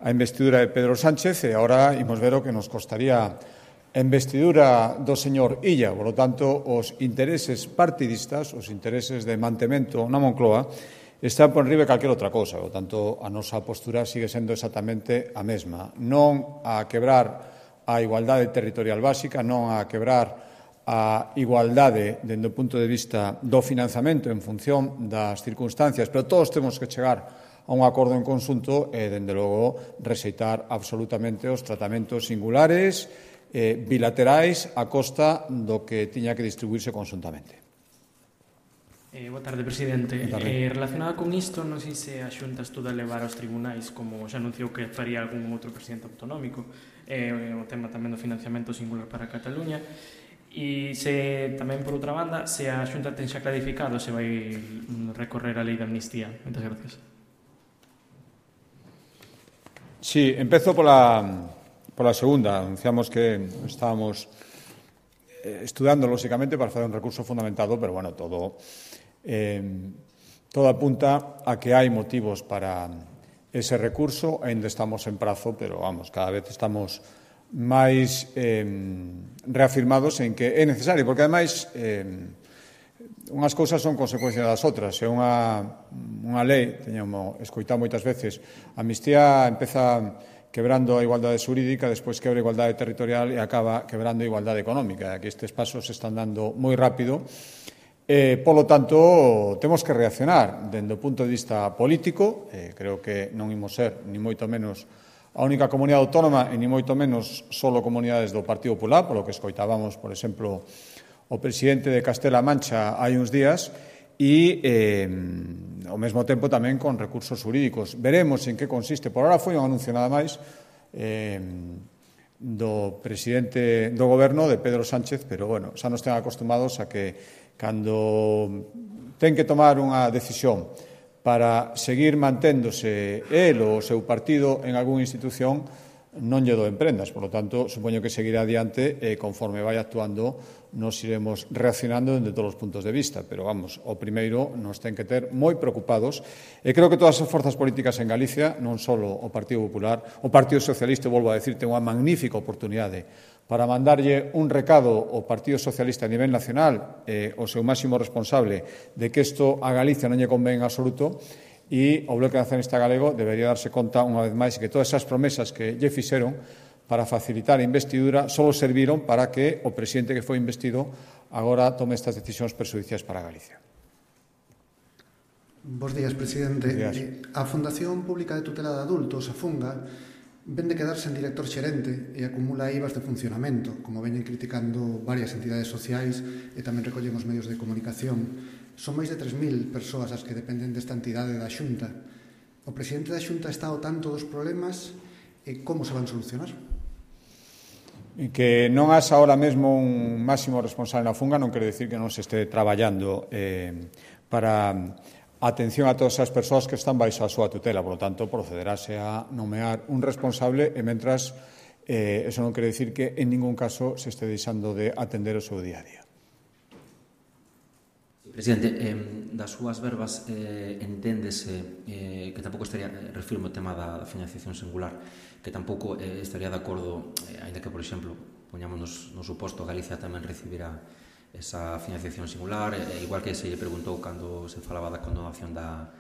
a investidura de Pedro Sánchez e agora imos ver o que nos costaría a investidura do señor Illa. Por lo tanto, os intereses partidistas, os intereses de mantemento na Moncloa, están por enriba de calquera outra cousa. Por lo tanto, a nosa postura sigue sendo exactamente a mesma. Non a quebrar a igualdade territorial básica, non a quebrar a igualdade dende o punto de vista do financiamento en función das circunstancias, pero todos temos que chegar a un acordo en conxunto e, dende logo, rexeitar absolutamente os tratamentos singulares, bilaterais, a costa do que tiña que distribuirse conxuntamente. Boa tarde, presidente. Relacionado con isto, non sei se a Xunta estuda levar aos tribunais, como xa anunciou que faría algún outro presidente autonómico, o tema tamén do financiamento singular para Cataluña, e se tamén, por outra banda, se a Xunta ten xa clarificado se vai recorrer a lei de amnistía. Moitas gracias. Sí, empezo pola segunda. Anunciamos que estábamos estudando, lóxicamente, para facer un recurso fundamentado, pero, bueno, todo apunta a que hai motivos para ese recurso. Ainda estamos en prazo, pero, vamos, cada vez estamos máis reafirmados en que é necesario, porque ademais unhas cousas son consecuencia das outras. É unha lei, teñamos escoitado moitas veces, a amnistía empeza quebrando a igualdade xurídica, despois quebra a igualdade territorial e acaba quebrando a igualdade económica. Aquí estes pasos se están dando moi rápido. Polo tanto, temos que reaccionar dende o punto de vista político. Creo que non imos ser, ni moito menos, a única comunidade autónoma e ni moito menos solo comunidades do Partido Popular, polo que escoitábamos, por exemplo, o presidente de Castela-A Mancha hai uns días, e ao mesmo tempo tamén con recursos xurídicos. Veremos en que consiste. Por ahora foi un anuncio nada máis do presidente do goberno, de Pedro Sánchez, pero bueno, xa nos ten acostumados a que cando ten que tomar unha decisión para seguir manténdose el ou o seu partido en algunha institución, non lle doen prendas. Por lo tanto, supoño que seguirá adiante e conforme vai actuando nos iremos reaccionando desde todos os puntos de vista. Pero, vamos, o primeiro nos ten que ter moi preocupados. E creo que todas as forzas políticas en Galicia, non só o Partido Popular, o Partido Socialista, volvo a decir, ten unha magnífica oportunidade para mandarlle un recado ao Partido Socialista a nivel nacional, o seu máximo responsable, de que isto a Galicia non lle convén en absoluto, e o Bloque Nacionalista Galego debería darse conta unha vez máis que todas esas promesas que lle fixeron para facilitar a investidura só serviron para que o presidente que foi investido agora tome estas decisións perxudiciais para Galicia. Bos días, presidente. A Fundación Pública de Tutela de Adultos, a Funga, ven de quedarse en director xerente e acumula IVAs de funcionamento, como veñen criticando varias entidades sociais e tamén recollen os medios de comunicación. Son máis de 3.000 persoas as que dependen desta entidade da Xunta. O presidente da Xunta está ao tanto dos problemas e como se van solucionar? E que non haxa ahora mesmo un máximo responsable na Funga non quere decir que non se este traballando para a atención a todas as persoas que están baixo a súa tutela. Por lo tanto, procederase a nomear un responsable e mentras eso non quere decir que en ningún caso se este deixando de atender o seu día a día. Presidente, das súas verbas enténdese que tampouco estaría, refirmo o tema da financiación singular, que tampouco estaría de acordo, ainda que, por exemplo, poñámonos no suposto, Galicia tamén recibirá esa financiación singular, igual que se lle preguntou cando se falaba da condonación da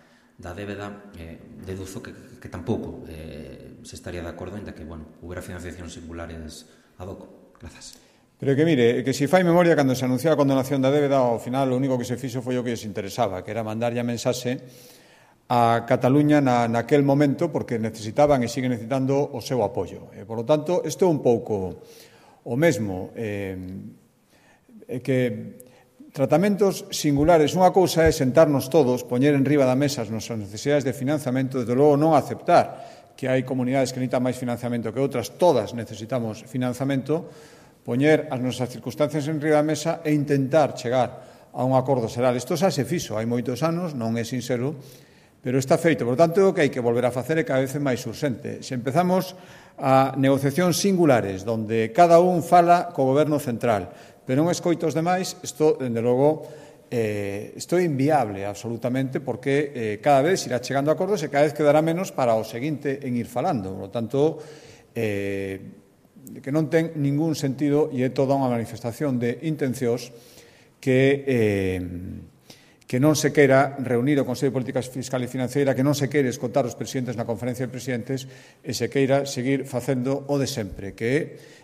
débeda, deduzo que tampouco se estaría de acordo, ainda que, bueno, houbera financiación singulares ad hoc. Grazas. Pero que, mire, que se fai memoria, cando se anunciou a condonación da débeda, ao final o único que se fixo foi o que lles interesaba, que era mandarlle a mensaxe a Cataluña naquel momento, porque necesitaban e siguen necesitando o seu apoio. Por lo tanto, isto é un pouco o mesmo. Que tratamentos singulares, unha cousa é sentarnos todos, poñer en riba da mesa as nosas necesidades de financiamento, desde logo non aceptar que hai comunidades que necesitan máis financiamento que outras, todas necesitamos financiamento, poñer as nosas circunstancias en riba da mesa e intentar chegar a un acordo xeral. Isto xa se fixo hai moitos anos, non é sincero, pero está feito. Por tanto, o que hai que volver a facer é cada vez máis urxente. Se empezamos a negociacións singulares, onde cada un fala co goberno central, pero non escoita os demais, isto, dende logo, isto é inviable absolutamente, porque cada vez irá chegando a acordos e cada vez quedará menos para o seguinte en ir falando. Por lo tanto, que non ten ningún sentido e é toda unha manifestación de intencións que non se queira reunir o Consello de Política Fiscal e Financeira, que non se queira escotar os presidentes na conferencia de presidentes e se queira seguir facendo o de sempre, que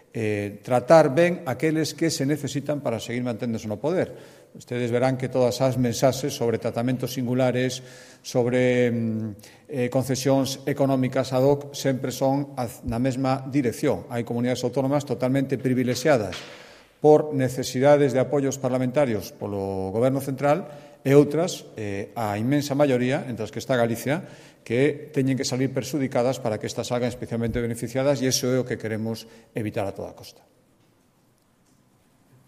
é tratar ben aqueles que se necesitan para seguir manténdose no poder. Ustedes verán que todas as mensaxes sobre tratamentos singulares, sobre concesións económicas ad hoc, sempre son na mesma dirección. Hai comunidades autónomas totalmente privilexiadas por necesidades de apoios parlamentarios polo Goberno central e outras, a inmensa maioría, entre as que está Galicia, que teñen que salir perxudicadas para que estas salgan especialmente beneficiadas, e iso é o que queremos evitar a toda costa.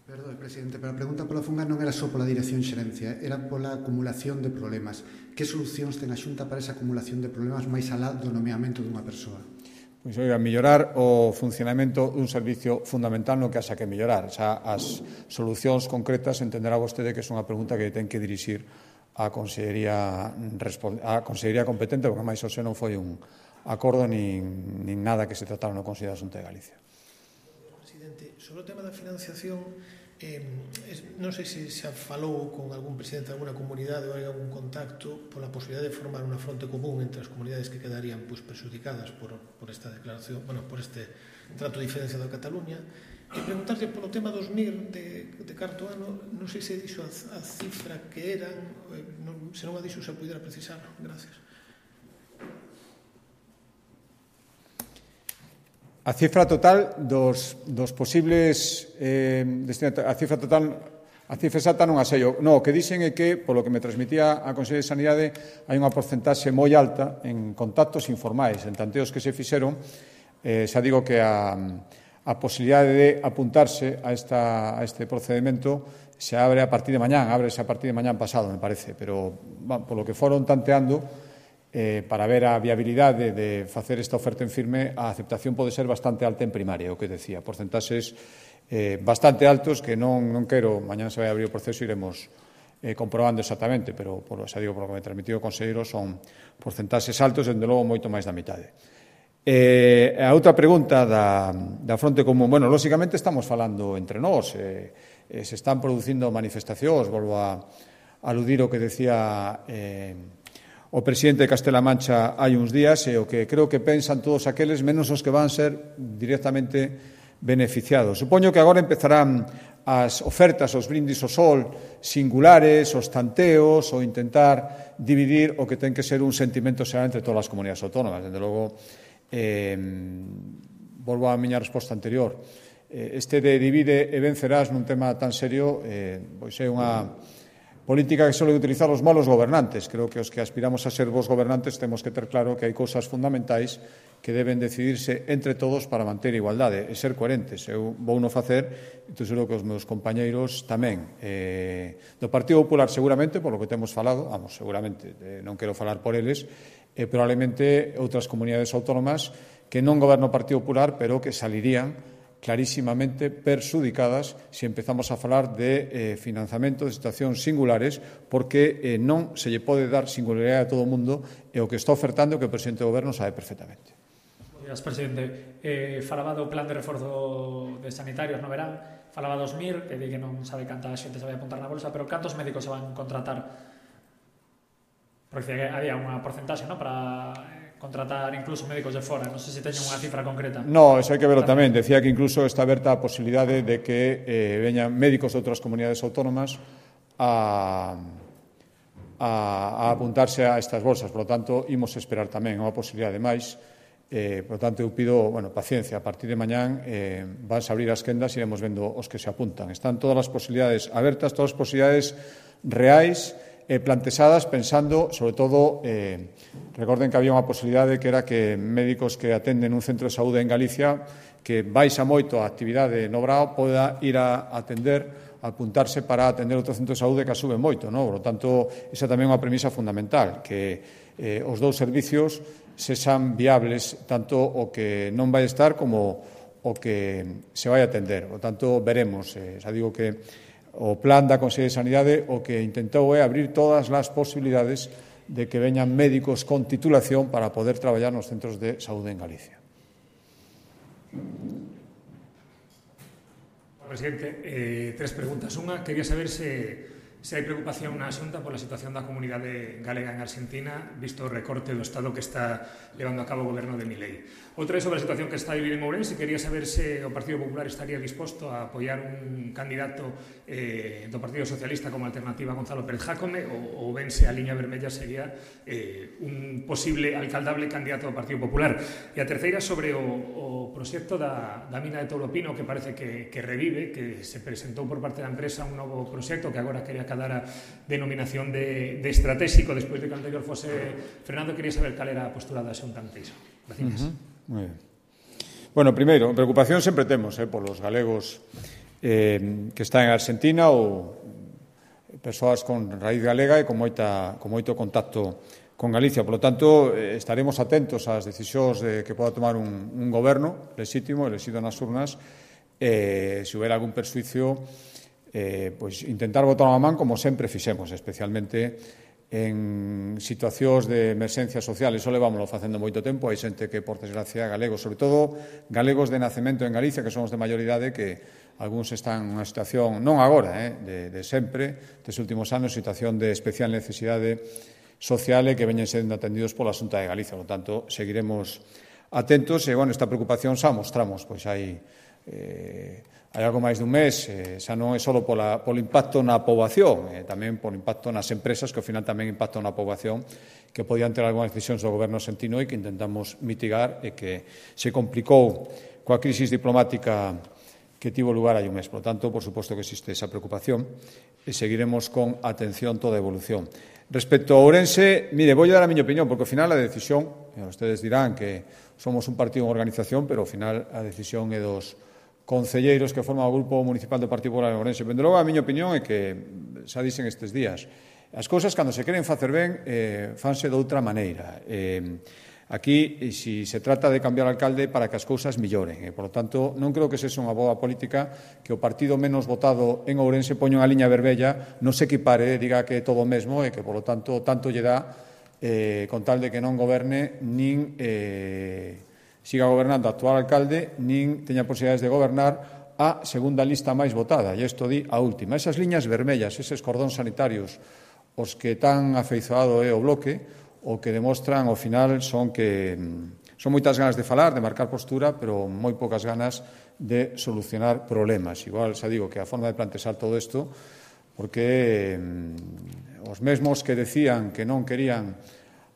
Perdón, presidente, pero a pregunta pola Funga non era só pola dirección xerencia, era pola acumulación de problemas. Que solucións ten a Xunta para esa acumulación de problemas máis alá do nomeamento dunha persoa? Pois, oiga, mellorar o funcionamento dun servicio fundamental no que haxa que mellorar. Xa as solucións concretas entenderá vostede que é unha pregunta que ten que dirixir a Consellería competente, porque máis ou se non foi un acordo nin nada que se tratara no Consello da Xunta de Galicia. Presidente, sobre o tema da financiación, non sei se xa falou con algún presidente de alguna comunidade ou hai algún contacto pola posibilidade de formar unha fronte común entre as comunidades que quedarían perxudicadas por esta declaración, por este trato diferenciado a Cataluña. E preguntarle polo tema dos MIR de carto ano, non sei se dixo a cifra que eran, se non a dixo se pudera precisar. Gracias. A cifra total dos posibles a cifra exacta non a sei. No, o que dixen é que, polo que me transmitía a Consellería de Sanidade, hai unha porcentaxe moi alta en contactos informais, en tanteos que se fixeron. Xa digo que a posibilidade de apuntarse a este procedimento se abre a partir de mañán, ábrese a partir de mañán pasado, me parece, pero polo que foron tanteando, para ver a viabilidade de facer esta oferta en firme, a aceptación pode ser bastante alta en primaria, o que decía, porcentaxes bastante altos que non quero, mañana se vai abrir o proceso e iremos comprobando exactamente, pero xa digo, por lo que me transmitido o conselleiro, son porcentaxes altos, dende logo moito máis da mitade. A outra pregunta da fronte común, bueno, lóxicamente estamos falando entre nós, se están producindo manifestacións, volvo a aludir o que decía o presidente de Castela Mancha hai uns días, e o que creo que pensan todos aqueles, menos os que van ser directamente beneficiados. Supoño que agora empezarán as ofertas, os brindis ao sol singulares, os tanteos, ou intentar dividir o que ten que ser un sentimento xeral entre todas as comunidades autónomas. Dende logo, volvo á miña resposta anterior. Este de divide e vencerás nun tema tan serio, pois é unha política que suele utilizar os malos gobernantes. Creo que os que aspiramos a ser bons gobernantes temos que ter claro que hai cousas fundamentais que deben decidirse entre todos para manter a igualdade e ser coherentes. Eu vou non facer, e estou seguro que os meus compañeiros tamén. Do Partido Popular seguramente, polo que temos falado, seguramente, non quero falar por eles, probablemente outras comunidades autónomas que non goberna o Partido Popular, pero que salirían clarísimamente perxudicadas se empezamos a falar de financiamento de situacións singulares, porque non se lle pode dar singularidade a todo o mundo, e o que está ofertando que o presidente do goberno sabe perfectamente. Gracias, presidente. Falaba do plan de reforzo de sanitarios no verán, falaba dos MIR, que di que non sabe canta xente se vai apuntar na bolsa, pero cantos médicos se van contratar? Porque había unha porcentaxe, non, para contratar incluso médicos de fora. Non sei se teñen unha cifra concreta. No, eso hai que verlo tamén. Decía que incluso está aberta a posibilidade de que veñan médicos de outras comunidades autónomas a apuntarse a estas bolsas. Por lo tanto, imos esperar tamén unha posibilidade máis. Por lo tanto, eu pido paciencia. A partir de mañán vanse abrir as quendas e iremos vendo os que se apuntan. Están todas as posibilidades abertas, todas as posibilidades reais, planteadas pensando, sobre todo, recorden que había unha posibilidade que era que médicos que atenden un centro de saúde en Galicia, que baixa moito a actividade no Brao, poda ir a atender, a apuntarse para atender outro centro de saúde que a sube moito, non? Por lo tanto, esa tamén é unha premisa fundamental, que os dous servicios sexan viables, tanto o que non vai estar como o que se vai atender. Por lo tanto, veremos. Xa digo que o plan da Consellería de Sanidade o que intentou é abrir todas as posibilidades de que veñan médicos con titulación para poder traballar nos centros de saúde en Galicia. Presidente, tres preguntas. Unha, quería saber se hai preocupación na Xunta pola situación da comunidade galega en Argentina, visto o recorte do Estado que está levando a cabo o goberno de Milei. Outra é sobre a situación que está a vivir en Ourense. Quería saber se o Partido Popular estaría disposto a apoiar un candidato do Partido Socialista como alternativa a Gonzalo Pérez Jácome, ou vense a liña vermella sería un posible alcaldable candidato do Partido Popular. E a terceira sobre o proxecto da mina de Toulopino, que parece que revive, que se presentou por parte da empresa un novo proxecto que agora quería dar a denominación de estratégico despois de que o anterior fose Fernando. Quería saber cal era a postura da Xunta ante iso. Gracias. Muy bien. Bueno, primeiro, preocupación sempre temos polos galegos que están en Argentina ou persoas con raíz galega e con moito contacto con Galicia. Por lo tanto, estaremos atentos ás decisións que poda tomar un goberno lexítimo, elexido nas urnas, se houver algún persuicio, pois intentar botar unha man como sempre fixemos, especialmente en situacións de emerxencia social, iso levámoslo facendo moito tempo, hai xente que, por desgracia, galegos, sobre todo galegos de nacemento en Galicia, que son os de mayor idade, que algúns están nunha situación, non agora, de sempre, des últimos anos, situación de especial necesidade social e que veñen sendo atendidos pola Xunta de Galicia. Por tanto, seguiremos atentos e, esta preocupación xa mostramos, pois hai algo máis dun mes, xa non é só polo impacto na poboación, tamén polo impacto nas empresas, que ao final tamén impactan na poboación, que podían ter algunhas decisións do goberno sentino e que intentamos mitigar e que se complicou coa crisis diplomática que tivo lugar hai un mes. Por tanto, por suposto que existe esa preocupación e seguiremos con atención toda a evolución. Respecto a Ourense, mire, vou dar a miña opinión, porque ao final a decisión, ustedes dirán que somos un partido en organización, pero ao final a decisión é dos concelleiros que forman o Grupo Municipal do Partido Popular en Ourense. Pero logo a miña opinión é que, xa dixen estes días, as cousas, cando se queren facer ben, fanse de outra maneira. Aquí, se trata de cambiar alcalde para que as cousas milloren. Por lo tanto, non creo que sexa unha boa política que o partido menos votado en Ourense poña unha liña vermella, non se equipare, diga que é todo o mesmo e que, por lo tanto, tanto lle dá con tal de que non goberne nin siga gobernando o actual alcalde, nin teña posibilidades de gobernar a segunda lista máis votada, e isto di a última. Esas liñas vermellas, eses cordóns sanitarios, os que tan afeizoado é o bloque, o que demostran, ao final, son moitas ganas de falar, de marcar postura, pero moi poucas ganas de solucionar problemas. Igual, xa digo, que a forma de plantexar todo isto, porque os mesmos que decían que non querían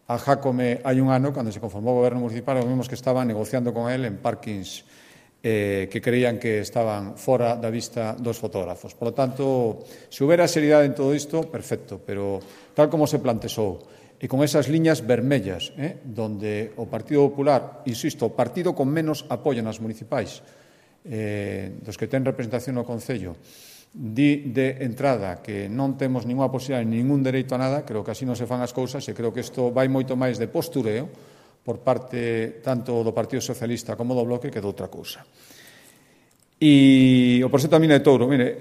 a Jácome hai un ano, cando se conformou o goberno municipal, os mesmos que estaban negociando con él en parkings que creían que estaban fora da vista dos fotógrafos. Por lo tanto, se houbera seriedade en todo isto, perfecto, pero tal como se plantexou, e con esas liñas vermellas, donde o Partido Popular, insisto, o partido con menos apoio nas municipais, dos que ten representación no Concello, di de entrada que non temos ninguna posibilidade, ningún dereito a nada, creo que así non se fan as cousas e creo que isto vai moito máis de postureo por parte tanto do Partido Socialista como do Bloque que de outra cousa. E o proxecto da mina de Touro, mire,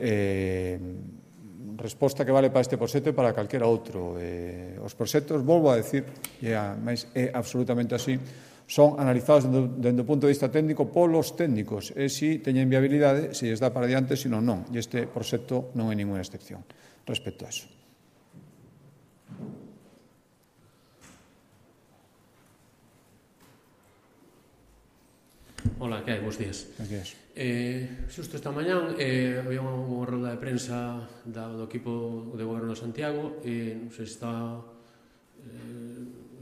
resposta que vale para este proxecto e para calquera outro. Os proxectos, volvo a decir, mas é absolutamente así, son analizados dende o punto de vista técnico polos técnicos, e se teñen viabilidade, se lles dá para diante, se non, non. E este proxecto non é ninguna excepción respecto a eso. Hola, que hai? Bos días. Bos días. Xusto esta mañán había unha rolda de prensa do equipo de goberno de Santiago e non sei se está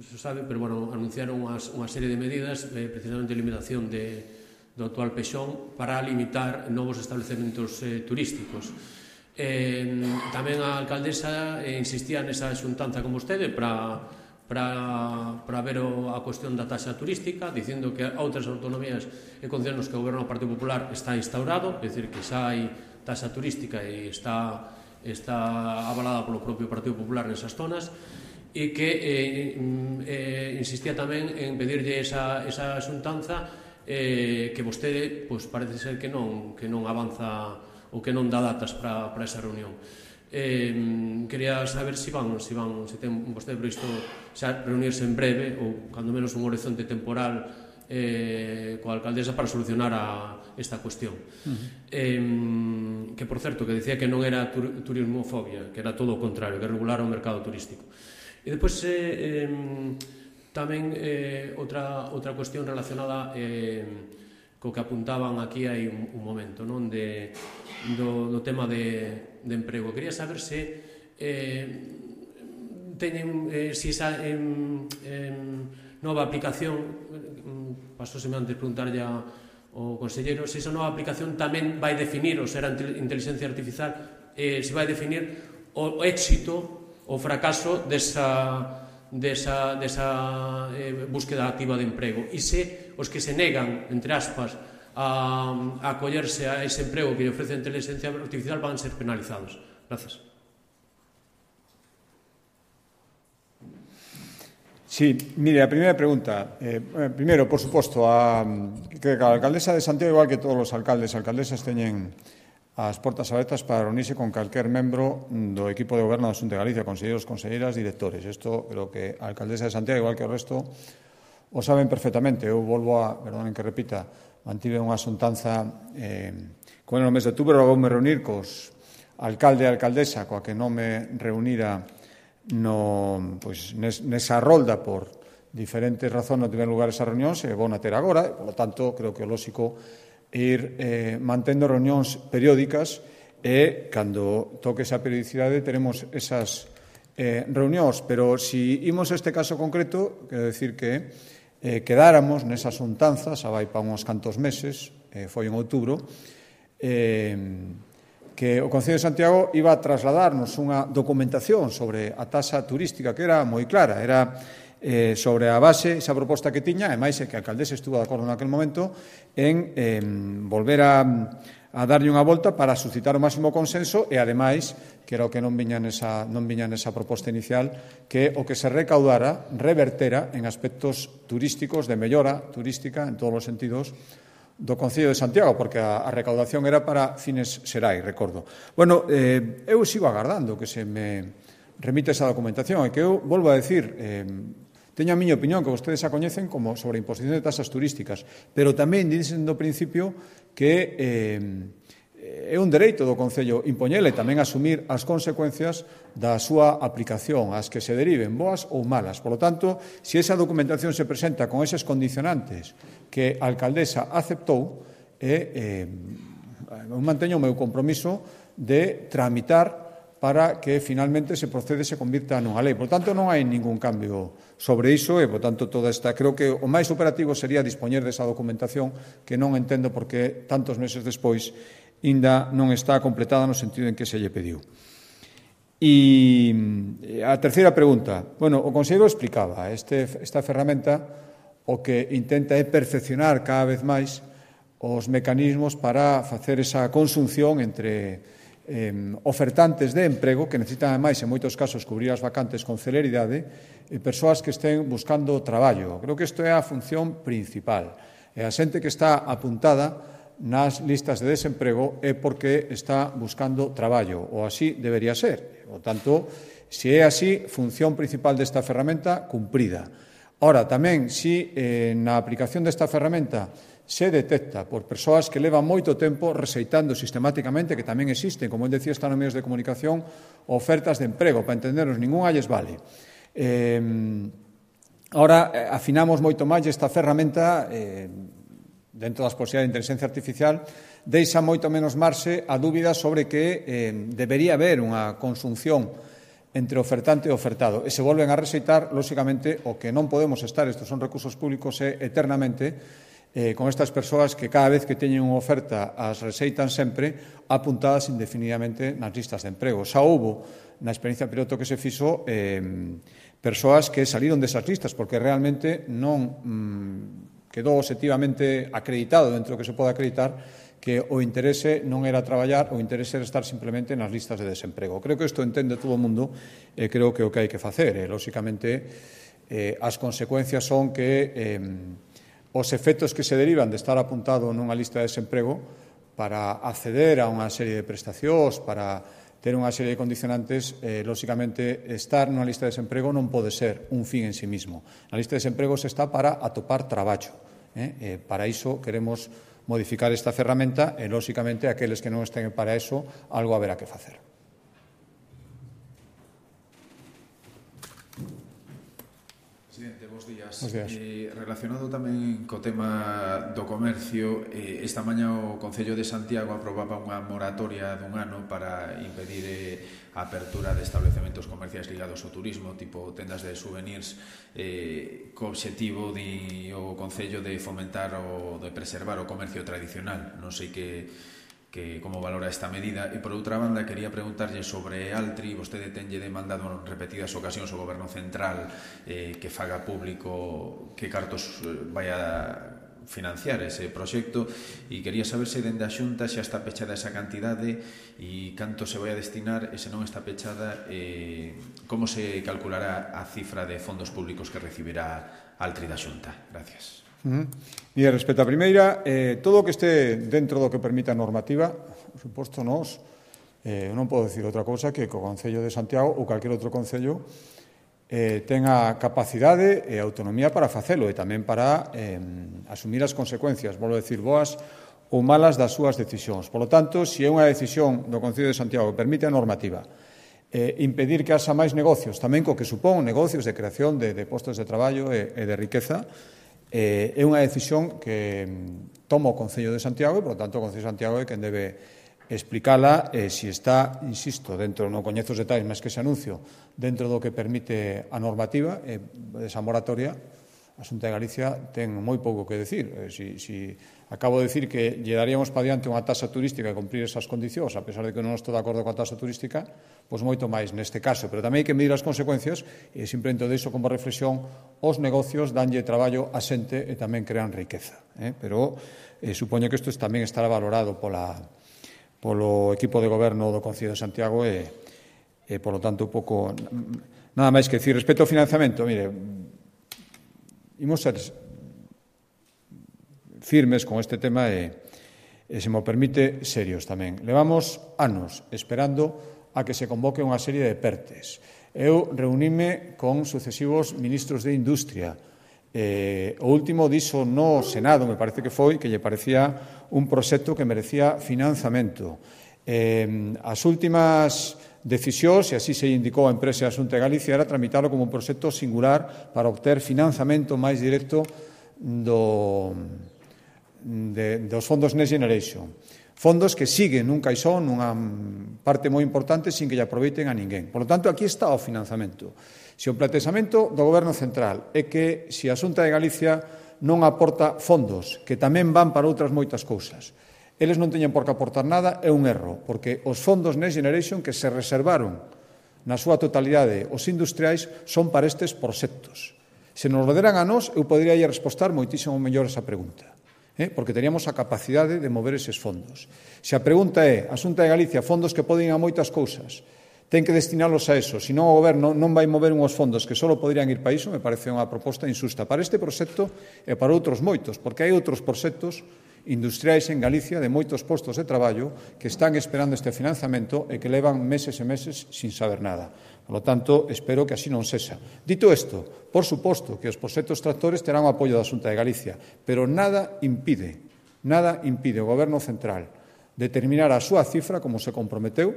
se sabe, pero bueno, anunciaron unha serie de medidas precisamente de limitación do actual pexón para limitar novos establecementos turísticos. Tamén a alcaldesa insistía nesa xuntanza con vostede para ver a cuestión da taxa turística, dicindo que outras autonomías e concellos que o goberno do Partido Popular está instaurado, é dicir, que xa hai taxa turística e está avalada polo propio Partido Popular nesas zonas, e que insistía tamén en pedirlle esa xuntanza que vostede parece ser que non avanza ou que non dá datas para esa reunión. Quería saber se ten vostede previsto xa reunirse en breve ou cando menos un horizonte temporal coa alcaldesa para solucionar esta cuestión. Que, por certo, que decía que non era turismofobia, que era todo o contrario, que regulara o mercado turístico. E depois tamén outra cuestión relacionada co que apuntaban aquí hai un momento, non, do tema de emprego. Quería saber se teñen se esa nova aplicación, pasóseme antes preguntarlle ao conselleiro, se esa nova aplicación tamén vai definir, ou será inteligencia artificial, se vai definir o éxito o fracaso desa búsqueda activa de emprego, e se os que se negan, entre aspas, a acollerse a ese emprego que lle ofrece a inteligencia artificial van ser penalizados. Gracias. Sí, mire, a primeira pregunta. Primeiro, por suposto, que a alcaldesa de Santiago, igual que todos os alcaldes e alcaldesas, teñen as portas abertas para reunirse con calquer membro do equipo de goberno da Xunta de Galicia, conselleiros, conselleiras, directores. Isto creo que a alcaldesa de Santiago, igual que o resto, o saben perfectamente. Eu volvo a, perdonen que repita, mantive unha xuntanza con el no mes de outubro, voume reunir cos alcalde e alcaldesa, coa que non me reunira nesa rolda por diferentes razóns non tiven lugar esas reunións e vou na ter agora, e, polo tanto, creo que o lóxico ir mantendo reunións periódicas e, cando toque esa periodicidade, teremos esas reunións. Pero, se imos a este caso concreto, quero decir que quedáramos nesa xuntanza, xa vai para uns cantos meses, foi en outubro, que o Concello de Santiago iba a trasladarnos unha documentación sobre a taxa turística que era moi clara, era sobre a base, esa proposta que tiña, e máis é que a alcaldesa estuvo de acordo naquele momento en volver a darlle unha volta para suscitar o máximo consenso e, ademais, que era o que non viña nesa proposta inicial, que o que se recaudara revertera en aspectos turísticos, de mellora turística, en todos os sentidos, do Concello de Santiago, porque a recaudación era para fines xerais, recordo. Bueno, eu sigo agardando que se me remite esa documentación, e que eu volvo a decir, teño a miña opinión, que vostedes a coñecen como sobre a imposición de tasas turísticas, pero tamén dicen do principio que é un dereito do Concello impoñele tamén asumir as consecuencias da súa aplicación, as que se deriven, boas ou malas. Por lo tanto, se esa documentación se presenta con eses condicionantes que a alcaldesa aceptou, eu manteño o meu compromiso de tramitar para que finalmente se procede e se convirta nunha lei. Por tanto, non hai ningún cambio sobre iso e, por tanto, toda esta, creo que o máis operativo sería dispoñer desa documentación que non entendo por que tantos meses despois ainda non está completada no sentido en que se lle pediu. E a terceira pregunta. Bueno, o conselleiro explicaba, esta ferramenta o que intenta é perfeccionar cada vez máis os mecanismos para facer esa conxunción entre ofertantes de emprego que necesitan, ademais, en moitos casos, cubrir as vacantes con celeridade e persoas que estén buscando traballo. Creo que isto é a función principal. E a xente que está apuntada nas listas de desemprego é porque está buscando traballo, ou así debería ser. Por tanto, se é así, función principal desta ferramenta cumprida. Ora, tamén, se na aplicación desta ferramenta se detecta por persoas que levan moito tempo rexeitando sistemáticamente, que tamén existen, como el decía, están nos medios de comunicación, ofertas de emprego, para entendernos, ninguna lles vale. Ahora, afinamos moito máis esta ferramenta, dentro das posibilidades de inteligencia artificial, deixa moito menos marxe a dúbida sobre que debería haber unha conxunción entre ofertante e ofertado. E se volven a rexeitar, lóxicamente, o que non podemos estar, estes son recursos públicos, eternamente con estas persoas que cada vez que teñen unha oferta as rexeitan sempre apuntadas indefinidamente nas listas de emprego. Xa houbo, na experiencia piloto que se fixo, persoas que saliron desas listas porque realmente non quedou obxectivamente acreditado dentro do que se pode acreditar que o interese non era traballar, o interese era estar simplemente nas listas de desemprego. Creo que isto entende todo o mundo e creo que o que hai que facer. Lóxicamente, as consecuencias son que os efectos que se derivan de estar apuntado nunha lista de desemprego para acceder a unha serie de prestacións, para ter unha serie de condicionantes, lóxicamente, estar nunha lista de desemprego non pode ser un fin en sí mismo. Na lista de desemprego se está para atopar traballo. Para iso queremos modificar esta ferramenta e, lóxicamente, aqueles que non estén para iso, algo haberá que facer. Presidente, bos días. Relacionado tamén co tema do comercio, esta mañá o Concello de Santiago aprobaba unha moratoria dun ano para impedir a apertura de establecementos comerciais ligados ao turismo, tipo tendas de souvenirs, co obxectivo o Concello de fomentar ou de preservar o comercio tradicional. Non sei como valora esta medida. E, por outra banda, quería preguntarlle sobre Altri. Vostede tenlle demandado en repetidas ocasións ao Goberno Central que faga público que cartos vai a financiar ese proxecto, e quería saber se dende a Xunta xa está pechada esa cantidade e canto se vai a destinar, e se non está pechada, como se calculará a cifra de fondos públicos que recibirá Altri da Xunta. Gracias. E respecto a primeira, todo o que este dentro do que permite a normativa, por suposto, nós non podo dicir outra cousa que o Concello de Santiago ou calquer outro concello ten a capacidade e a autonomía para facelo e tamén para asumir as consecuencias, volvo a decir, boas ou malas das súas decisións. Por lo tanto, se é unha decisión do Concello de Santiago que permite a normativa impedir que haxa máis negocios, tamén co que supón negocios de creación de postos de traballo e de riqueza, é unha decisión que toma o Concello de Santiago e, por lo tanto, o Concello de Santiago é quen debe explicala se está, insisto, dentro, non coñezo os detalles máis que ese anuncio, dentro do que permite a normativa, esa moratoria, a Xunta de Galicia ten moi pouco que decir. Si acabo de decir que lle daríamos para diante unha taxa turística e cumprir esas condicións, a pesar de que non estou de acordo coa taxa turística, pois moito máis neste caso. Pero tamén hai que medir as consecuencias e simplemente deixo como reflexión os negocios danlle traballo a xente e tamén crean riqueza. Pero supoño que isto tamén estará valorado polo equipo de goberno do Concello de Santiago e polo tanto, pouco nada máis que decir. Respecto ao financiamento, mire, imos ser firmes con este tema e se me permite, serios tamén. Levamos anos esperando a que se convoque unha serie de PERTEs. Eu reunime con sucesivos ministros de Industria. O último dixo no Senado, me parece que foi, que lle parecía un proxecto que merecía financiamento. As últimas decisións, e así se indicou a empresa da Xunta de Galicia, era tramitarlo como un proxecto singular para obter financiamento máis directo dos fondos Next Generation. Fondos que siguen nun caixón, nunha parte moi importante, sin que lle aproveiten a ninguén. Por lo tanto, aquí está o financiamento. Se o plantexamento do Goberno Central é que se a Xunta de Galicia non aporta fondos, que tamén van para outras moitas cousas, eles non teñen por que aportar nada, é un erro, porque os fondos Next Generation que se reservaron na súa totalidade os industriais son para estes proxectos. Se nos lo deran a nós, eu poderia respostar moitísimo mellor esa pregunta, porque teríamos a capacidade de mover eses fondos. Se a pregunta é, a Xunta de Galicia, fondos que poden ir a moitas cousas, ten que destinalos a eso, senón o Goberno non vai mover unhos fondos que só poderían ir para iso, me parece unha proposta injusta para este proxecto e para outros moitos, porque hai outros proxectos industriais en Galicia de moitos postos de traballo que están esperando este financiamento e que levan meses e meses sin saber nada. Por lo tanto, espero que así non sexa. Dito isto, por suposto que os proxectos tractores terán o apoio da Xunta de Galicia, pero nada impide o Goberno Central determinar a súa cifra como se comprometeu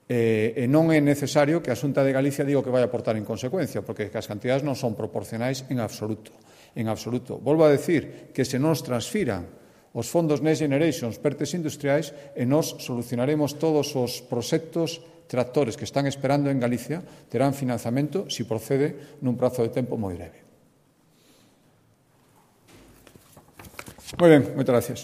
e non é necesario que a Xunta de Galicia diga o que vai aportar en consecuencia, porque as cantidades non son proporcionais en absoluto. Volvo a decir que se nos transfiran os fondos Next Generation, PERTEs industriais, e nos solucionaremos todos os proxectos tractores que están esperando en Galicia, terán financiamento se procede nun prazo de tempo moi breve. Moi ben, moitas gracias.